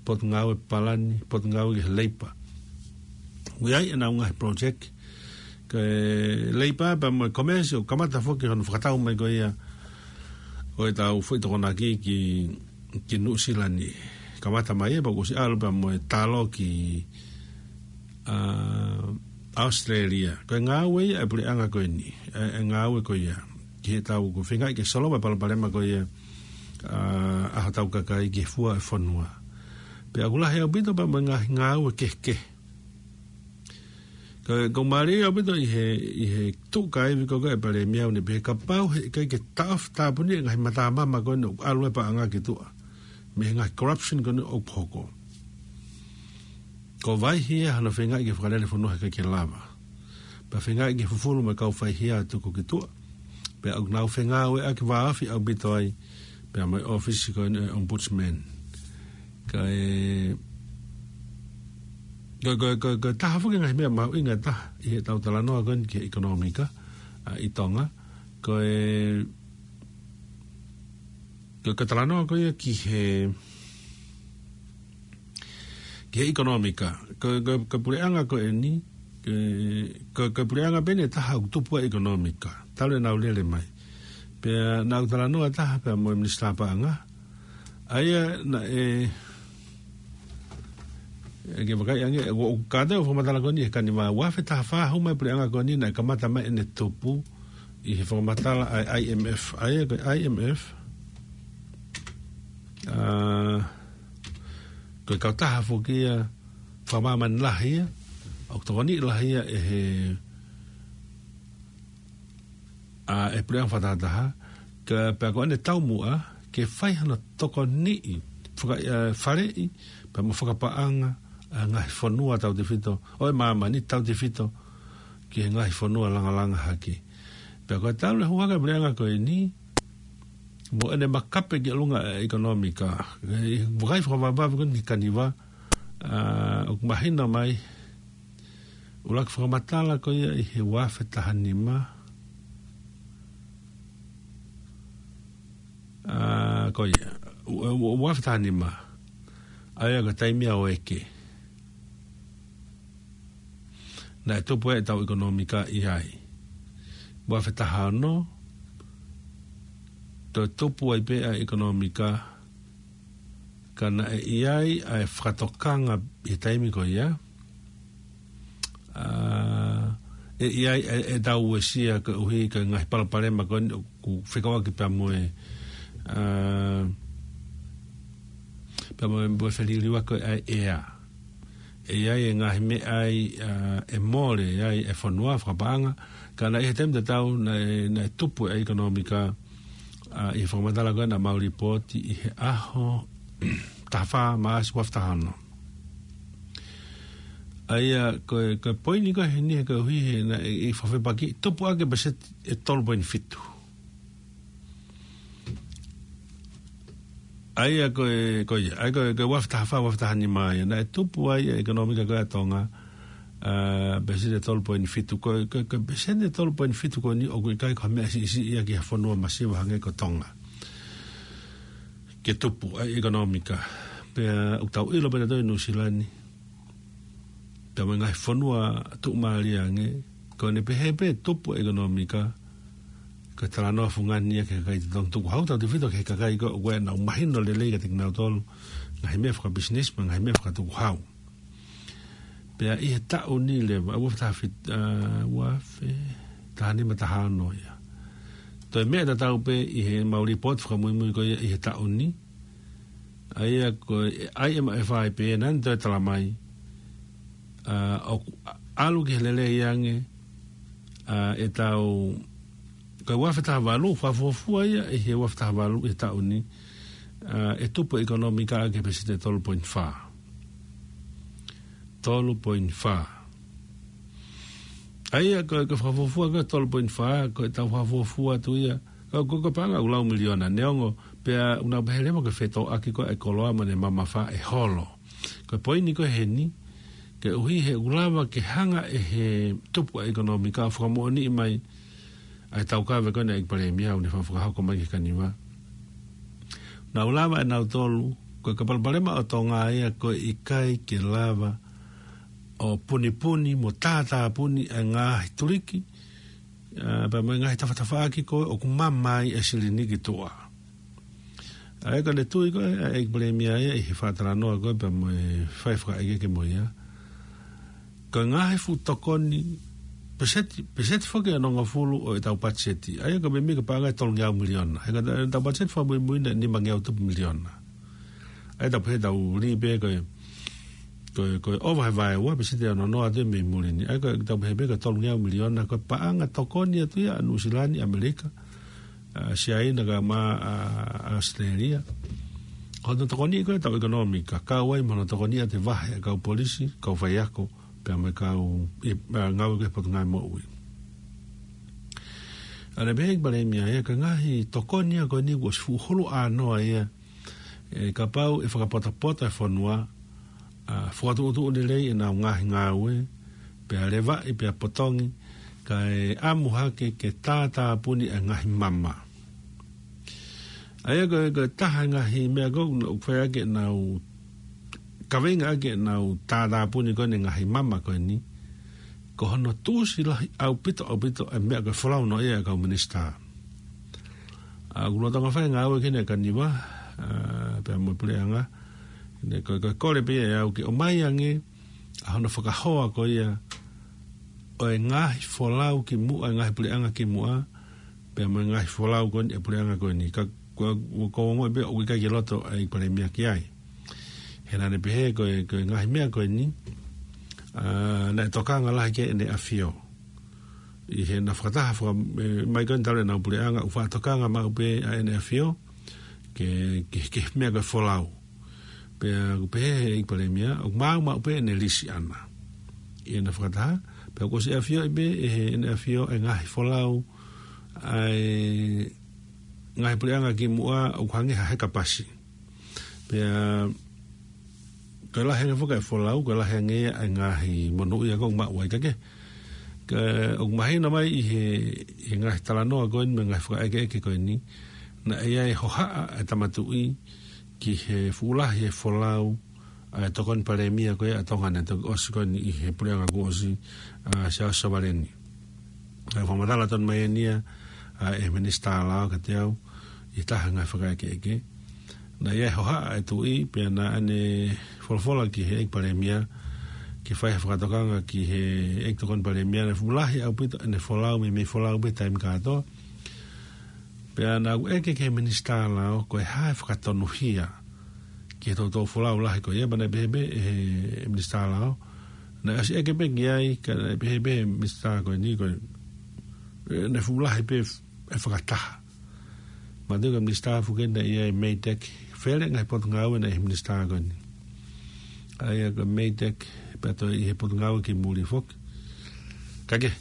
potungāue palani, potungāue ki he leipa. ʻOku ʻi ai ʻenau ngaahi project, ko e leipa pea mo e komesi ʻoku kamata foki hono fakatau mai ko ia ʻo ʻetau foʻi tokonaki ki, ki Nuʻusila ni. Kamata mai ia pea kuo ʻosi ʻalu pea mo e talo ki, ʻa, ʻAositelēlia. Ko e ngāue ia ʻa e puleʻanga ko eni, ʻa e, ʻa e ngāue ko ia. Ki heʻetau ko e feingaʻi ke solova e palopalema ko ia, ʻa, ʻa hotau kakai ki he fua e fonua. Pea ʻoku lahi ʻaupito pea mo e ngaahi ngāue kehekehe. Ka, ka mālie ʻaupito ʻi he, ʻi he tuʻu kaivi ko ē ʻa e Palēmia ʻo ne pehē kapau heʻikai ke taʻofi tāpuni e ngaahi matamama ko eni ʻoku ʻalu e paʻanga ki tuʻa. Mei he ngaahi corruption ko eni ʻoku hoko. Ko e vaihia hano feingaʻi ke fakalele fonua heʻikai ke lava. Pea feingaʻi ke fufulu mo e kau faihia ʻo tuku ki tuʻa. Pea ʻoku nau fengāueʻaki vāofi ʻaupito ai, pea mo e ʻōfisi ko eni ʻo e Ombudsman. Ka e, ko, ko, ko, ko e taha foki e ngaahi meʻa mahuʻinga taha ʻi heʻetau talanoa ko eni ki he ʻekonōmika, ʻa, ʻi Tonga. Ko e, ko, ko e talanoa ko ia ki he, ki he ʻekonōmika. Ko, ko, ko e puleʻanga ko eni, ko, ko, ko e puleʻanga pē eni ʻe taha ʻoku tupu ai e ʻekonōmika. Talu ʻenau lele mai. Pea naʻa ku talanoa taha pea mo e Minisitā Paʻanga. ʻA ia naʻe, ʻe ke vakai ange, ʻo, ʻo kātau fakamatala ko eni he Kaniva ua afe taha fā hū mai e puleʻanga ko eni naʻe kamata mai ʻene tupu ʻi he fakamatala ʻa e I M F. ʻA ia ko e I M F, ʻa, ko e kautaha foki ia fakamāmani lahi ia, ʻoku tokoniʻi lahi ia ʻe he, ʻa, ʻe he puleʻanga fakatahataha, ka pea ko ʻene taumuʻa ke fai hano tokoniʻi, faka-, ʻa, faleʻi, pea mo fakapaʻanga ʻa e ngaahi fonua tautefito, ʻo e māmani tautefito, ki he ngaahi fonua langalanga hake. Pea ko e talu e hū hake e puleʻanga ko eni, mo ʻene makape ki ʻolunga e ʻekonōmika. ʻI he vakai fakavavevave ko eni ki he Kaniva, ʻa, ʻoku mahino mai, ʻuluaki fakamatala ko ia ʻi he ua afe taha nima, ko ia, ua, ua, ua afe taha nima, ʻa ia ko e taimi ʻa ʻOeke, naʻe tupu ai ʻetau ʻekonōmika ʻi ai. Ua afe taha ono, toe tupu ai pē ʻa e ʻekonōmika, ka naʻe ʻi ai ʻa e fakatokanga ʻi he taimi ko ia. ʻA, ʻe ʻi ai ʻe, ʻetau uesia koeʻuhi ko e ngaahi palopalema ko eni ʻoku fekauʻaki pea mo e, ʻa, pea mo e, mo e feliliuaki ko ē ʻa e ʻea. ʻE ʻi ai e ngaahi meʻa ai, ʻa, ʻe mole ai e fonua fakapaʻanga, ka naʻe ʻi he taimi tatau naʻe, naʻe tupu e ʻekonōmika, ʻa, ʻi he fakamatala ko ē naʻa mau lipooti ʻi he ʻaho taha fā Maʻasi ua afe taha ono. ʻA ia ko e, ko e poini ko ē heni he koeʻuhi he naʻe, ʻi fakafepaki, tupu ʻaki e peseti ʻe tolu poini fitu. ʻA ia ko e, ko ia, ʻa ia ko e, ko e ua afe taha fā, ua afe taha nima ia, naʻe tupu ai e ʻekonōmika ko ē ʻa Tonga, ʻa, peseti ʻe tolu poini fitu, ko e, ko e, ko e peseti ʻe tolu poini fitu ko eni ʻoku ʻikai ko ha meʻa siʻisiʻi ia ki ha fonua masiva hangē ko Tonga ke tupu ʻa e ʻekonōmika. Pea ʻoku tau ʻilo pē ʻe tautolu ʻi Nuʻusila ni, pea mo e ngaahi fonua tuʻumālie ange, ko ʻene pehē pē tupu e ʻekonōmika, ko e talanoa fungani ia ki he kakai totongi tukuhau, tautefito ki he kakai ko ē ʻoku ʻikai ke nau mahino lelei kiate kinautolu ngaahi meʻa fakapisinisi mo e ngaahi meʻa fakatukuhau. Pea ʻi he taʻu ni leva, ua afe taha fitu, ʻa, ua afe taha nima, taha ono ia, toe meʻa tatau pē ʻi heʻemau lipooti fakamuimui ko ia ʻi he taʻu ni, ʻa ia ko e ʻa e M F I pē naʻa ne toe talamai, ʻa, ʻoku ʻalu ki he lelei ange, ʻa, ʻetau, ko e ua afe taha valu, fakafuofua ia ʻi he ua afe taha valu ʻi he taʻu ni, ʻa, ʻe tupu e ʻekonōmika ʻaki e peseti ʻe tolu poini fā. Tolu poini fā. ʻA ia ko e, ko e fakafuofua ko e tolu poini fā, ko ʻetau fakafuofua atu ia. Ko, ko, ko e paʻanga ʻoku lau miliona, neongo pea ʻoku nau pehē leva ko e fetōʻaki ko ē e koloa mo ʻene mamafa ʻe holo. Ko e poini ko ē heni, koeʻuhi he ʻoku lava ke hanga ʻe he tupu ʻa e ʻekonōmika ʻo fakamoʻoniʻi mai ʻa e taukave ko eni ʻa e ʻEiki Palēmia ʻoku ne fakahoko mai ki he Kaniva. Nau lava ʻe nautolu, ko e, ko e palopalema ʻo Tonga ia ko e ʻikai ke lava ʻo punipuni mo tātāpuni e ngaahi tuliki, ʻa, pea mo e ngaahi tafatafaʻaki ko ē ʻoku mamaʻi e silini ki tuʻa. ʻA ia ko ʻene tui ko ē ʻa e ʻEiki Palēmia ia ʻi he faʻa talanoa ko ē pea mo e fai fakaʻekeʻeke mo ia, ko e ngaahi fuʻu tokoni, peseti, peseti foki ʻe onongofulu ʻo ʻetau patiseti. ʻA ia ko e meimei ko e paʻanga ʻe tolungeau miliona. He ko ʻetau patiseti fakamuimui naʻe nimangeau tupu miliona. ʻA ia tau pehē tau lī pē ko e, ko e, ko e ʻova he vaeua, peseti ʻe ono noa atu mei muli ni. ʻA ia ko ʻetau pehē pē ko e tolungeau miliona, ko e paʻanga tokoni atu ia ʻa Nuʻusila ni, ʻAmelika, ʻa Siaina kae ʻumaʻā ʻa ʻAositelēlia. Ko hono tokoniʻi ko ē ʻetau ʻekonōmika, kau ai mo hono tokoniʻi ʻa e vahe ʻa e kau polisi, kau faiako, pea mo e kau, ʻi, ʻa, ngāue ki he Potungāue Moʻui. ʻA ia pehē ʻe he ʻEiki Palēmia ia, ko e ngaahi tokoni ia ko eni kuo ʻosi fuʻu hulu ʻānoa ia, ʻe, kapau ʻe fakapotopoto e fonua, ʻa, fakatuʻutuʻu lelei ʻenau ngaahi ngāue, pea levaʻi, pea potongi, kae ʻamu hake ke tātāpuni e ngaahi mama. ʻA ia ko e, ko e taha e ngaahi meʻa ko ē ʻoku fai ʻaki ʻenau, kaveinga ʻaki ʻenau tātāpuni ko eni e ngaahi mama ko eni, ko hono tuʻusi lahi ʻaupito, ʻaupito e meʻa ko e folau noaʻia ʻa e kau minisitā. ʻA, ʻoku lolotonga fai e ngāue ki heʻene Kaniva, ʻa, pea mo e puleʻanga, ne ko e, ko e kole pē ia ʻe au ke ʻomai ange ʻa hono fakahoa ko ia ʻo e ngaahi folau kimuʻa, e ngaahi puleʻanga kimuʻa, pea mo e ngaahi folau ko eni ʻa e puleʻanga ko eni. Ka, ko, ko, ko e ongo pē ʻoku ʻikai ke loto ʻa e ʻEiki Palēmia ki ai. He naʻa ne pehē ko e, ko e ngaahi meʻa ko eni, ʻa, naʻe tokanga lahi ki ai ʻEne ʻAfio. ʻI heʻena fakataha faka-, ʻe, mai ko eni talu ʻenau puleʻanga, ʻoku faʻa tokanga maʻu pē ʻa ʻEne ʻAfio ki he, ki he, ki he meʻa ko e folau. Pea ʻoku pehē ʻe he ʻEiki Palēmia, ʻoku maʻu maʻu pē ʻene lisi ʻaʻana. ʻI heʻena fakataha, pea kuo ʻosi ʻafioʻi pē ʻe he, ʻEne ʻAfio e ngaahi folau ʻa e ngaahi puleʻanga kimuʻa ʻoku hangē ha heka pasi. Pea, ko e lahi ange foki e folau, ko e lahi ange ia e ngaahi monūʻia ko ē ʻoku maʻu ai ka ke. Ka ʻoku mahino mai ʻi he, ʻi he ngaahi talanoa ko eni mo e ngaahi fakaʻekeʻeke ko eni, Naʻe ʻi ai e hohaʻa ʻa e tama tuʻi ki he fuʻu lahi e folau ʻa e tokoni palēmia ko ia ʻa Tonga naʻe toki ʻosi ko eni ʻi he puleʻanga kuo ʻosi, ʻa Siaosi Sovaleni. Naʻe fakamatala tonu mai eni ia ʻa e Minisitā Lao kiate au ʻi he taha e ngaahi fakaʻekeʻeke. Naʻe ʻi ai e hohaʻa ʻa e tuʻi pea naʻa ne folofola ki he ʻEiki Palēmia ke fai ha fakatokanga ki he ʻEiki Tokoni Palēmia, naʻe fuʻu lahi ʻaupito ʻene folau, meimei folau pē taimi kātoa. Pea naʻa ku ʻeke ki he Minisitā Lao ko e hā e fakatonuhia ki he toutou folau lahi ko ia, pea naʻe pehē pē ʻe he Minisitā Lao, naʻe ʻosi ʻeke pē ki ai, ka naʻe pehē pē ʻe he Minisitā ko eni ko e, ʻe, naʻe fuʻu lahi pē e fakataha. Manatuʻi ko e Minisitā Fuke naʻe ʻi ai e MEIDECC, fele ngaahi potungāue naʻe ʻi he Minisitā ko eni. ʻA ia ko e MEIDECC, pea toe ʻi he potungāue ki muli foki. Ka ke,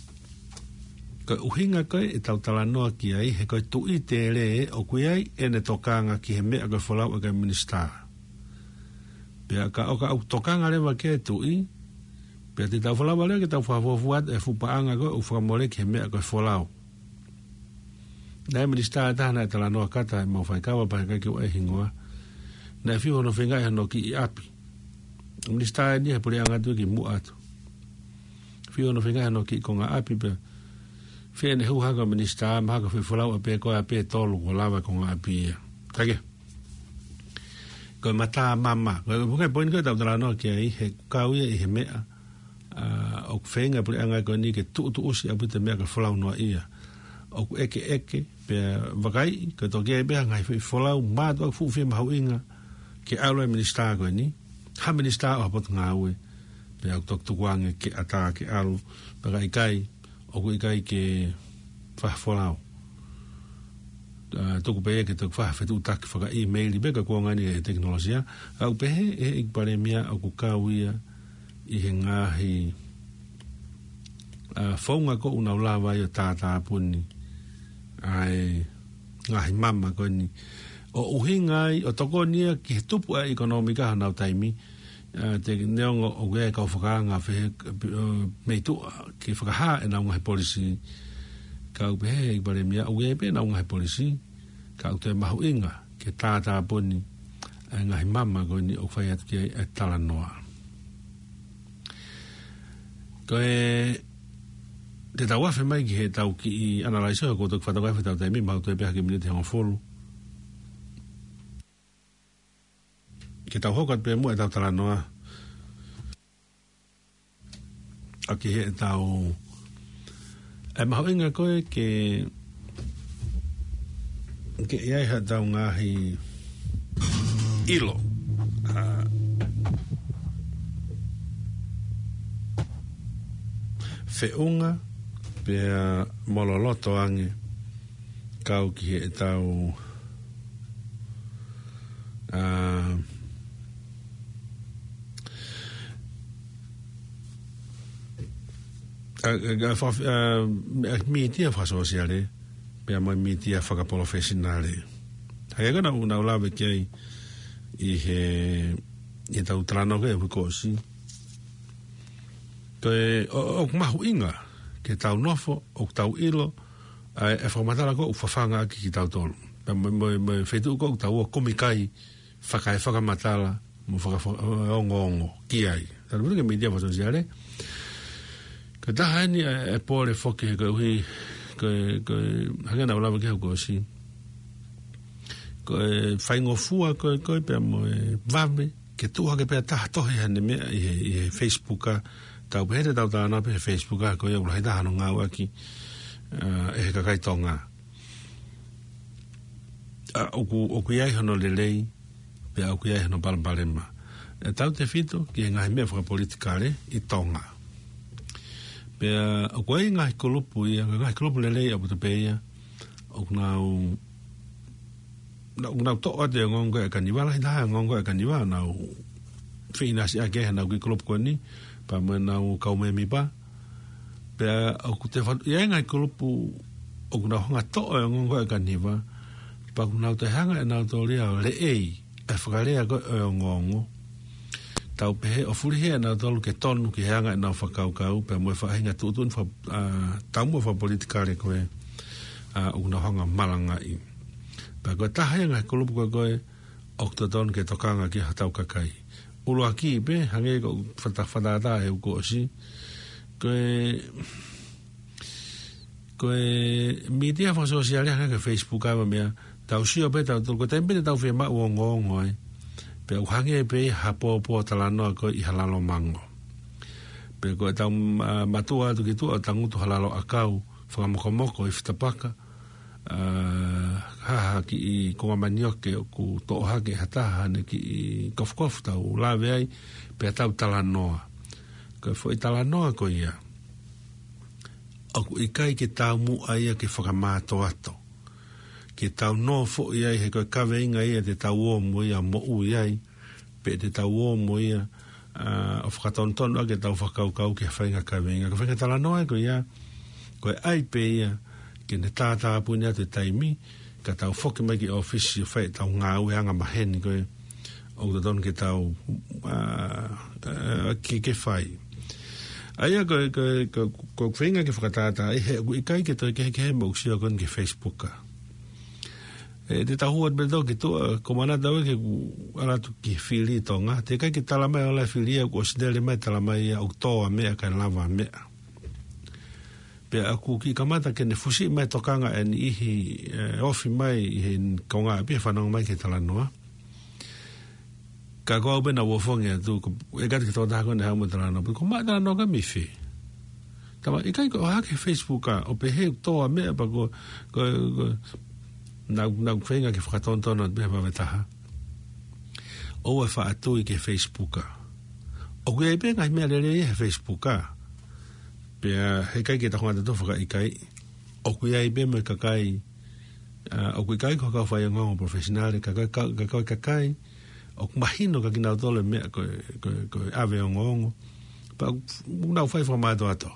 ko e ʻuhinga ko ē ʻetau talanoa ki ai, he ko e tuʻi tele ʻoku ʻi ai ʻene tokanga ki he meʻa ko e folau ʻa e kau Minisitā. Pea ka ʻoka ʻoku tokanga leva ki ai e tuʻi, pea te tau folau leva ke tau fakafuofua atu e fuʻu paʻanga ko ē ʻoku fakamole ki he meʻa ko e folau. Naʻe ʻi ai e Minisitā ʻe taha naʻe talanoa kata ʻemau faikava pea ʻikai ke u ʻai e hingoa. Naʻe fiu hono feingaʻi hono kiʻi ʻapi. Minisitā eni he puleʻanga tuʻi kimuʻa atu. Fiu hono feingaʻi hono kiʻi konga ʻapi pea fēfē ʻene hū hake ʻo Minisitā, mahalo ko e folau ʻa pē ko ē ʻa pē tolu kuo lava e konga ʻapi ia. Ka ke, ko e mata mama, ko e, ko e poini ko ē ʻetau talanoa ki ai, he ʻoku kau ia ʻi he meʻa, ʻa, ʻoku feinga e puleʻanga ko eni ke tuʻutuʻusi ʻaupito e meʻa ko e folau noaʻia. ʻOku ʻekeʻeke, pea vakai, ko e toki ʻi ai pē ha ngaahi foʻi folau mātuʻaki fuʻu fie mahuʻinga ke ʻalu ai e Minisitā ko eni, ha Minisitā ʻo ha potungāue, pea ʻoku toki tukuange ke ʻatā ke ʻalu, pea ka ʻikai, ʻoku ʻikai ke fai ha folau. ʻA, tuku pē ia ke toki fai ha fetuʻutaki fakaʻīmeili pē ka kuo ngani e tekinolosia. ʻA, ʻoku pehē ʻe he ʻEiki Palēmia ʻoku kau ia ʻi he ngaahi, ʻa, founga ko ē ʻoku nau lava ai ʻo tātāpuni ʻa e ngaahi mama ko eni, ʻo ʻuhinga ai, ʻo tokoni ia ki he tupu ʻa e ʻekonōmika ʻi honau taimi, ʻa, te neongo ʻoku ʻi ai e kau fakaanga fē-, ʻo, mei tuʻa ke fakahā ʻenau ngaahi polisī. Ka ʻoku pehē ʻe he ʻEiki Palēmia ʻoku ʻi ai pē ʻenau ngaahi polisī, ka ʻoku toe mahuʻinga ke tātāpuni ʻa e ngaahi mama ko eni ʻoku fai atu ki ai e talanoa. Ko e, te tau afe mai ki heʻetau kiʻi analysis, ʻoku ou toki fakatokangaʻi ʻetau taimi, mahalo toe pē ha kiʻi miniti hongofulu. Ke tau hoko atu pē muʻa ʻetau talanoa ʻaki heʻetau, ʻe mahuʻinga ko ē ke, ke ʻi ai haʻatau ngaahi ʻilo, ʻa, feʻunga pea mo loloto ange kau ki heʻetau, ʻa, ʻa, ʻa, ʻa, faka-, ʻa, ʻa, mītia fakasōsiale, pea mo e mītia fakapalofesinale. ʻA ia ko ē naʻa ku, naʻa ku lave ki ai ʻi he, ʻi heʻetau talanoa ko ē ʻi he uike kuo ʻosi. Ko e, ʻo, ʻoku mahuʻinga ke tau nofo ʻo tau ʻilo ʻa e, e fakamatala ko ē ʻoku fafanga ʻaki kitautolu. Pea mo, mo, mo e feituʻu ko ē ʻoku tau ō ʻo kumi ki ai, fakaefakamatala mo faka-, fakaongoongo ki ai. Talanoa ki he mītia fakasōsiale. Ko e taha eni e, e pole foki he koeʻuhi, ko e, ko e, hangē naʻa ku lave ki ai he uike kuo ʻosi. Ko e faingofua ko ē, ko ē pea mo e vave ke tuʻu hake pē ha taha tohi haʻane meʻa ʻi he, ʻi he Facebook ʻa, tau pehē te tau talanoa pē he Facebook ʻa, ko ia ʻoku lahi taha hono ngāueʻaki, ʻa, ʻe he kakai Tonga. ʻA, ʻoku, ʻoku ʻi ai hono lelei, pea ʻoku ʻi ai hono palopalema. ʻE tautefito ki he ngaahi meʻa fakapolitikale ʻi Tonga. Pea ʻoku ʻi ai ngaahi kulupu ia, ngaahi kulupu lelei ʻaupito pē ia, ʻoku nau, nau, nau toʻo atu e ongoongo ʻa e kaniva, lahi taha e ongoongo ʻa e kaniva, nau feʻinasiʻaki ʻenau kiʻi kulupu ko eni, pea mo ʻenau kau mēmipa. Pea ʻoku te fatu, ʻi ai ngaahi kulupu ʻoku nau hanga toʻo e ongoongo ʻa e kaniva, pea ʻoku nau toe hanga ʻe nautolu ia ʻo leʻei e fakalea ko ē ʻo e ongoongo. Tau pehē ʻo fulihi ʻe nautolu ke tonu ki he anga ʻenau fakakaukau, pea mo e faʻahinga tuʻutuʻuni faka-, ʻa, taumuʻa fakapolitikale ko ē, ʻa, ʻoku nau hanga malangaʻi. Pea ko e taha ia e ngaahi kulupu ko ē ʻoku totonu ke tokanga ki ai hotau kakai. ʻUluaki pē, hangē ko e fata-, fakatātā ʻeku ʻosi, ko e, ko e mītia fakasōsiale hangē ko e Facebook ʻa e meʻa, tau sio pē, tau, tau, ko e taimi pē te tau fiemaʻu ongoongo ai. Pea ʻoku hangē pē ia ha pōpō talanoa ko ē ʻi ha lalo mango. Pea ko ʻetau ma-, mātuʻa atu ki tuʻa ʻo tangutu ha lalo ʻakau, fakamokomoko ʻi fitapaka, ʻa, ha, ha kiʻi konga manioke ʻoku toʻo hake ʻe ha taha haʻane kiʻi kofukofu, tau lave ai, pea tau talanoa. Ko e foʻi talanoa ko ia, ʻoku ʻikai ke taumuʻa ia ke fakamātoato. Ke tau nofoʻi ai he ko e kaveinga ia te tau ō mo ia moʻui ai, pe te tau ō mo ia, ʻa, ʻo fakatonutonu ʻaki ʻetau fakakaukau ki ha faʻahinga kaveinga. Ko e faʻahinga talanoa ia ko ia, ko e ʻai pē ia ke ne tātāpuni atu e taimi, ka tau foki mai ki ʻōfisi ʻo fai ʻetau ngāue angamaheni ko ē ʻoku totonu ke tau, ʻa, ʻa, ke, ke fai. ʻA ia ko, ko, ko, ko e feinga ke fakatātā, ʻi he ʻoku ʻikai ke toe kehekehe mo ʻeku sio ko eni ki he Facebook ʻa. ʻE, te tau hū atu pē tau ki tuʻa, ko e manatu ʻaʻaku ke u ʻalu atu ki he fili ʻi Tonga, teʻeki ai ke tala mai ʻo lahi e fili ia, kuo ʻosi lele mai tala mai ia ʻoku tō ʻa e meʻa kae lava ʻa e meʻa. Pea ʻoku kiʻi kamata ke ne fusi mai tokanga ʻe niʻihi, ʻe, ofi mai ʻi he konga ʻapi he fanongo mai ki he talanoa. Ka ko au pē naʻa ku ʻofongi atu, ko e kati ki he tokotaha ko eni haʻu mo e talanoa, pea ko e maʻu e talanoa ko ē mei fē? Tala mai, ʻikai, ko e ʻohake he Facebook ʻa, ʻo pehē ʻoku tō ʻa e meʻa pea ko, ko, ko, naʻa, naʻa ku feinga ke fakatonutonu atu pē he vave taha. ʻOua ʻe faʻa tui ki he Facebook ʻa. ʻOku ʻi ai pē ngaahi meʻa lelei he Facebook ʻa. Pea heʻikai ke tau hanga ʻo tau fakaʻikaiʻi. ʻOku ʻi ai pē mo e kakai, ʻa, ʻoku ʻikai ko e kau faiongoongo professional, ka, ka, ka, ka, ka, kakai ʻoku mahino kia kinautolu e meʻa ko e, ko e, ko e ʻave ongoongo. Pea ʻoku nau fai fakamātoato.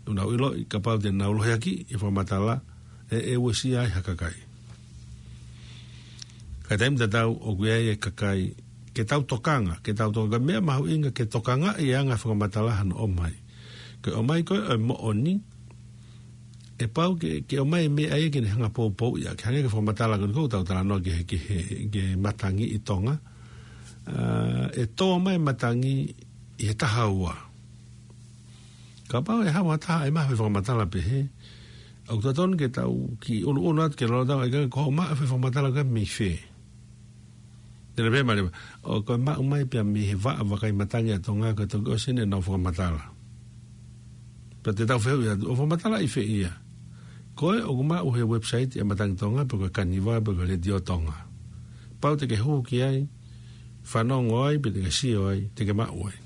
ʻOku nau ʻiloʻi kapau te nau lohiakiʻi e fakamatala, ʻe, ʻe uesia ai ha kakai. Ka taimi tatau ʻoku ʻi ai e kakai, ke tau tokanga, ke tau tokanga, meʻa mahuʻinga ke tokangaʻi e anga e fakamatala hano ʻomai. Ke ʻomai ko ē ʻo e moʻoni, ʻe pau ke, ke ʻomai e meʻa ia ke ne hanga ʻo poupouʻi ʻaki, hangē ko e fakamatala ko eni ʻoku tau talanoa ki he, ki he, ki he matangi ʻi Tonga. ʻA, ʻe tō mai e matangi ʻi he taha ua. Kapau ʻe haʻu ha taha ʻe maʻu e fakamatala pehē, ʻoku totonu ke tau kiʻi ʻunuʻunu atu ki lalo ʻo tala ʻe kinautolu ko e maʻu e fakamatala ko ē mei fē. Te ne pehē mai leva, ʻoku maʻu mai pē ia mei he vaʻa vakai matangi ʻa Tonga, ko e toki ʻosi eni ʻenau fakamatala. Pea te tau fehuʻi atu, ʻo fakamatala ʻi fē ia? Ko ē ʻoku maʻu he website ʻa e Matangi Tonga, pe ko e Kaniva, pe ko e Letiō Tonga. Pau te ke hū ki ai, fanongo ai, pe te ke sio ai, te ke maʻu ai.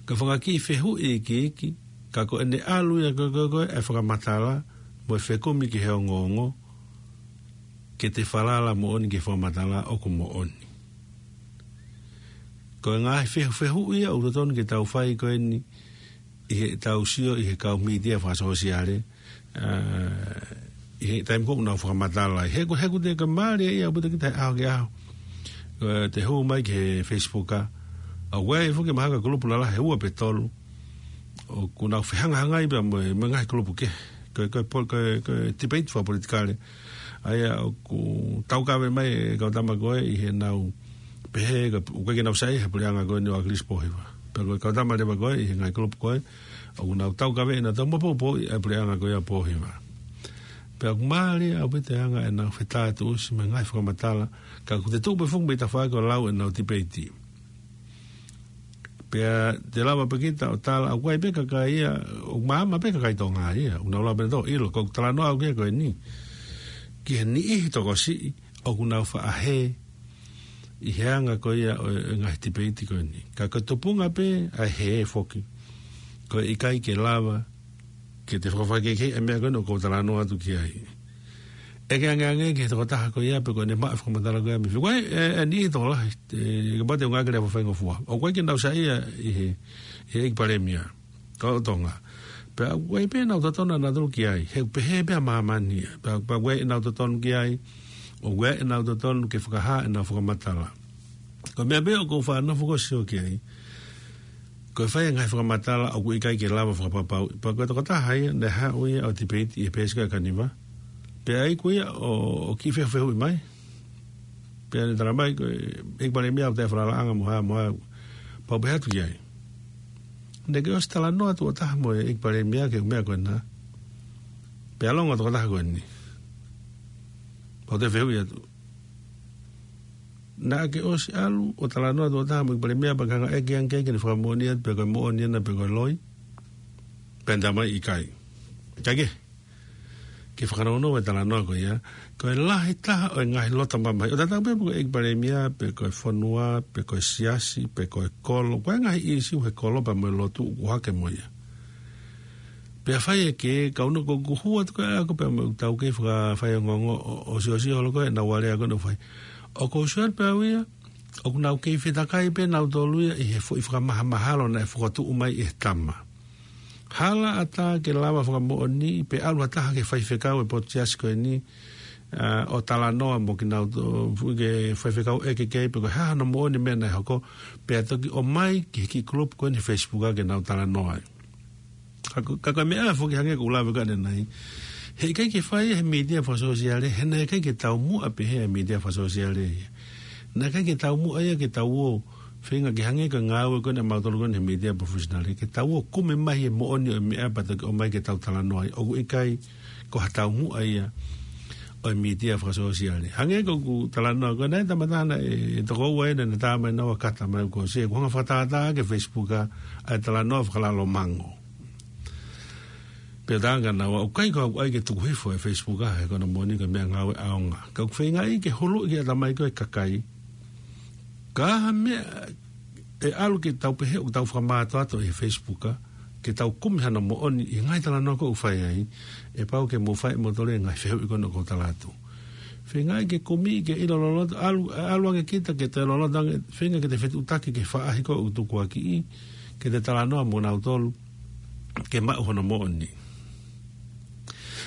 Ko e fanga kiʻi fehuʻi iiki, ka ko ʻene ʻalu ia ko, ko, ko e fakamatala, mo e fekumi ki he ongoongo, ke te falala moʻoni ki he fakamatala ʻoku moʻoni. Ko e ngaahi fehu-, fehuʻi ia ʻoku totonu ke tau fai ko eni ʻi heʻetau sio ʻi he kau mītia fakasōsiale, ʻa, ʻi he taimi ko ē ʻoku nau fakamatala ai. He ʻoku, he ʻoku te ka mālie ia ʻaupito kita he ʻaho ki he ʻaho. Ko e te hū mai ki he Facebook ʻa. ʻOku ʻi ai foki mahalo ko e kulupu lalahi ʻe ua pe tolu ʻoku nau fehangahangai pea mo e, mo e ngaahi kulupu kehe. Ko e, ko e po-, ko e, ko e debate fakapolitikale. ʻA ia ʻoku taukave mai e kau tama ko ē ʻi heʻenau pehē, ko e, ʻoku ʻikai ke nau saiʻia he puleʻanga ko eni ʻo ʻAkilisi Pōhiva. Pea ko e kau tama leva ko ē ʻi he ngaahi kulupu ko ē, ʻoku nau taukave ʻenau tau mo poupouʻi e puleʻanga ko ia ʻo Pōhiva. Pea ʻoku mālie ʻaupito e anga ʻenau fetātuʻusi mo e ngaahi fakamatala, ka ʻoku te tuʻu pē foki mei tafaʻaki ʻo lau ʻenau debate. Pea te lava pē kita ʻo tala, ʻoku ʻi ai pē kakai ia, ʻoku maama pē kakai Tonga ia, ʻoku nau lava pē ʻo ʻilo, ko e talanoa ʻaʻaku ia ko eni. Ki he niʻihi tokosiʻi, ʻoku nau faʻa hē ʻi he anga ko ia ʻo e ngaahi debate ko eni. Ka ko e tupunga pē ʻa e hē foki, ko e ʻikai ke lava ke te fakafaikehekeheʻi e meʻa ko eni ʻoku ou talanoa atu ki ai. ʻEke angeange ki he tokotaha ko ia pe ko ʻene maʻu e fakamatala ko ia mei fē. Ko e, ʻe, ʻe niʻihi tokolahi, ʻe, kapau te u ngāueʻaki e lea fakafaingofua, ʻoku ʻikai ke nau saiʻia ʻi he, ʻi he ʻEiki Palēmia ʻo Tonga. Pea ʻoku ʻi ai pē ʻenau totonu ʻanautolu ki ai. He ʻoku pehē pē ʻa māmani ia. Pea, pea ʻoku ʻi ai ʻenau totonu ki ai. ʻOku ʻi ai ʻenau totonu ke fakahā ʻenau fakamatala. Ko e meʻa pē ʻoku ou faʻa nofo ʻo sio ki ai, ko e fai e ngaahi fakamatala ʻoku ʻikai ke lava fakapapauʻi. Pea ko e tokotaha ia naʻe haʻu ia ʻo debate ʻi he peesi ko ē ʻa Kaniva. Pea ʻai ko ia ʻo, ʻo kiʻi fefehuʻi mai. Pea ne talamai ko e, ʻEiki Palēmia, ʻoku ʻi ai e falalaʻanga mo ha, mo ha, pau pē atu ki ai. Naʻe ʻikai ke ʻosi talanoa atu ʻo taha mo e ʻEiki Palēmia ki he meʻa ko ena. Pea longo tokotaha ko eni. Pau te fehuʻi atu. Naʻa ke ʻosi ʻalu ʻo talanoa atu ʻo taha mo e ʻEiki Palēmia pea ke hanga ʻo ʻeke ange ki ai ke ne fakamoʻoni atu pe ko e moʻoni ena pe ko e loi. Pea ne talamai ʻikai. Kae kehe, ke fakanounou e talanoa ko ia, ko e lahi taha ʻo e ngaahi loto mamahi. ʻO tatau pē pe ko e ʻEiki Palēmia, pe ko e fonua, pe ko e siasi, pe ko e kolo, ko e ngaahi ʻīsiu he kolo pea mo e lotu ʻoku hake mo ia. Pea fai e ke, kau noko kuhua tu ka ako pea mo e tau kei faka-, fai ongoongo ʻo, ʻo siosio holo ko e na wale ako na fai. ʻOku ou sio atu pē au ia, ʻoku nau kei fetakai pē nautolu ia ʻi he foʻi fakamahamahalo naʻe fokotuʻu mai ʻe he tama. Hala ʻatā ke lava fakamoʻoni pe ʻalu ha taha ki he faifekau e potu siasi ko eni, ʻa, ʻo talanoa mo kinautolu, ke faifekau ʻeke ki ai pe ko e hā hano moʻoni e meʻa naʻe hoko, pea toki ʻomai ki he kiʻi kulupu ko eni he Facebook ke nau talanoa ai. Ka ko, ka ko e meʻa foki hangē ko ʻeku lave ko ē ʻanenai. He ʻikai ke fai he mītia fakasōsiale, he naʻe ʻikai ke taumuʻa pehē he mītia fakasōsiale ia. Naʻe ʻikai ke taumuʻa ia ke tau ō feinga ke hangē ko e ngāue ko eni ʻamautolu ko eni he mītia professional, ke tau ō kumi mai e moʻoni ʻo e meʻa pea toki ʻomai ke tau talanoa ai. ʻOku ʻikai ko ha taumuʻa ia ʻo e mītia fakasōsiale. Hangē ko ʻeku talanoa ko ē naʻe tama taha naʻe, ʻe toko ua ena naʻe tā mai naua kata mai ko se, ʻoku hanga fakatātā ki he Facebook ʻa e talanoa fakalalomango. Pea tā ange naua, ʻoku ʻikai ko au ʻai ke tuku hifo e Facebook ʻa e, ko hono moʻoni ko e meʻangāue ʻaonga. Ka ʻoku feingaʻi ke huluʻi ki he ʻatamai ko e kakai. Ka ha meʻa ʻe ʻalu ke tau pehē ʻoku tau fakamātoato ʻi he Facebook ʻa, ke tau kumi hano moʻoni ʻi he ngaahi talanoa ko ē ʻoku fai ai, ʻe pau ke mou fai ʻe moutolu e ngaahi fehuʻi ko ena ʻoku ou tala atu. Feingaʻi ke kumi, ke ʻilo loloto, ʻalu, ʻalu ange kita ke te loloto ange, feinga ke te fetuʻutaki ki he faʻahi ko ē ʻoku tukuakiʻi, ke te talanoa mo nautolu, ke maʻu hono moʻoni.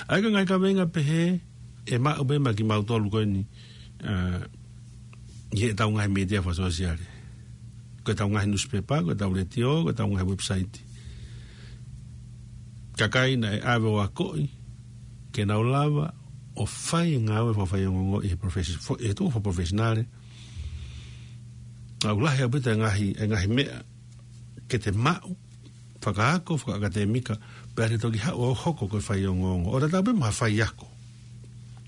ʻA ia ko e ngaahi kaveinga pehē, ʻe maʻu pē maʻa kimautolu ko eni, ʻa, ʻi heʻetau ngaahi mītia fakasōsiale. Ko ʻetau ngaahi nusipepa, ko ʻetau letiō, ko ʻetau ngaahi website. Kakai naʻe ʻave ʻo akoʻi, ke nau lava ʻo fai e ngāue fakafaiongoongo ʻi he profesi-, fo-, ʻi he tuʻu fakaprofesinale. ʻOku lahi ʻaupito e ngaahi, e ngaahi meʻa ke te maʻu, fakaako, fakaʻakatēmika, pea te toki haʻu ʻo hoko ko e faiongoongo. ʻO tatau pē mo ha faiako.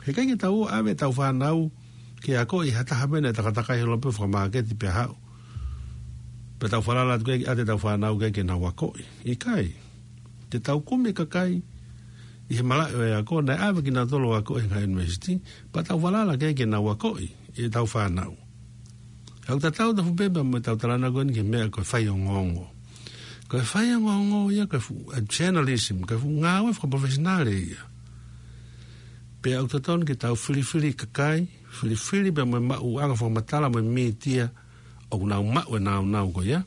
He ʻikai ke tau ʻave ʻetau fānau ke akoʻi ha taha pē naʻe takatakai holo pē fakamāketi pea haʻu. Pea tau falala atu ke ʻave ʻetau fānau ke, ke nau akoʻi. ʻIkai. Te tau kumi e kakai ʻi he malaʻe ʻo e ako, naʻe ʻave kinautolu ʻo akoʻi he ngaahi university, pea tau falala ke, ke nau akoʻi ʻetau fānau. ʻOku tatau tofu pē pea mo ʻetau talanoa ko eni ki he meʻa ko e faiongoongo. Ko e faiongoongo ia ko e fuʻu, ʻa e journalism, ko e fuʻu ngāue fakaprofesinale ia. Pea ʻoku totonu ke tau filifili kakai, filifili pea mo e maʻuʻanga fakamatala mo e mītia ʻoku nau maʻu e nāunau ko ia.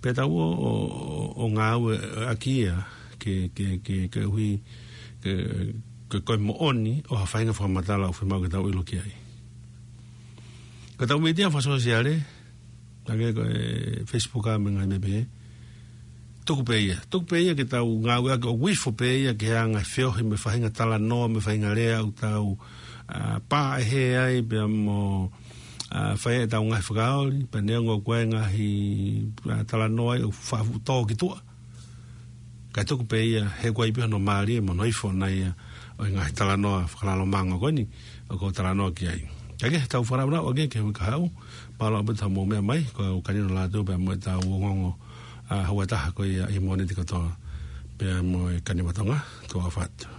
Pea tau ō, ō, ō, ō ngāueʻaki ia ke, ke, ke, ke ui, ke, ke ko e moʻoni ʻo ha faʻahinga fakamatala ʻoku fiemaʻu ke tau ʻilo ki ai. Ko ʻetau mītia fakasōsiale, hangē ko e Facebook ʻa mo e ngaahi meʻa pehē. Tuku pē ia. Tuku pē ia ke tau ngāueʻaki ʻo ifo pē ia ke hanga ʻo feohi mo e faʻahinga talanoa mo e faʻahinga lea ʻoku tau, ʻa, pā ʻe he ai pea mo, ʻa, fai ʻetau ngaahi fakaoli, pea neongo ko e ngaahi, ʻa, talanoa ʻoku faʻa fuʻu tō ki tuʻa. Kae tuku pē ia he ʻoku ʻi ai pē hono mālie mo hono ifo ʻona ia ʻo e ngaahi talanoa fakalalomango ko eni ʻoku ou talanoa ki ai. Kae kehe, tau fakanāunau ʻaki ke hui ka haʻu, mālō ʻaupito hoʻomou meʻa mai, ko Kanino Lātū pea mo ʻetau ongoongo, ʻa, houa ʻe taha ko ia ʻi he Mōnite kotoa, pea mo e Kaniva Tonga, tuʻa ʻofa atu.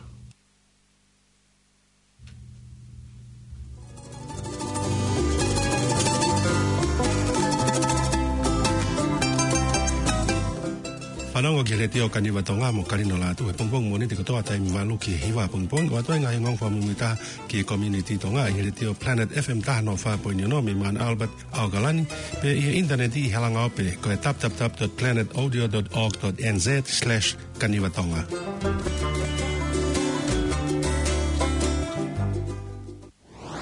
Fanongo ki he Letiō Kaniva Tonga mo Kanino Lātū he pongipongi Mōnite kotoa taimi valu ki he hiva pongipongi, ʻo ʻoatu ai e ngaahi ongoongo fakamuimuitaha ki he community Tonga ʻi he Letiō Planet F M taha noa fā poini ono mei Mount Albert, ʻAokalani, pea ʻi he ʻinitaneti ʻi he halanga ope ko e w w w dot planet audio dot org dot n z slash kaniva tonga.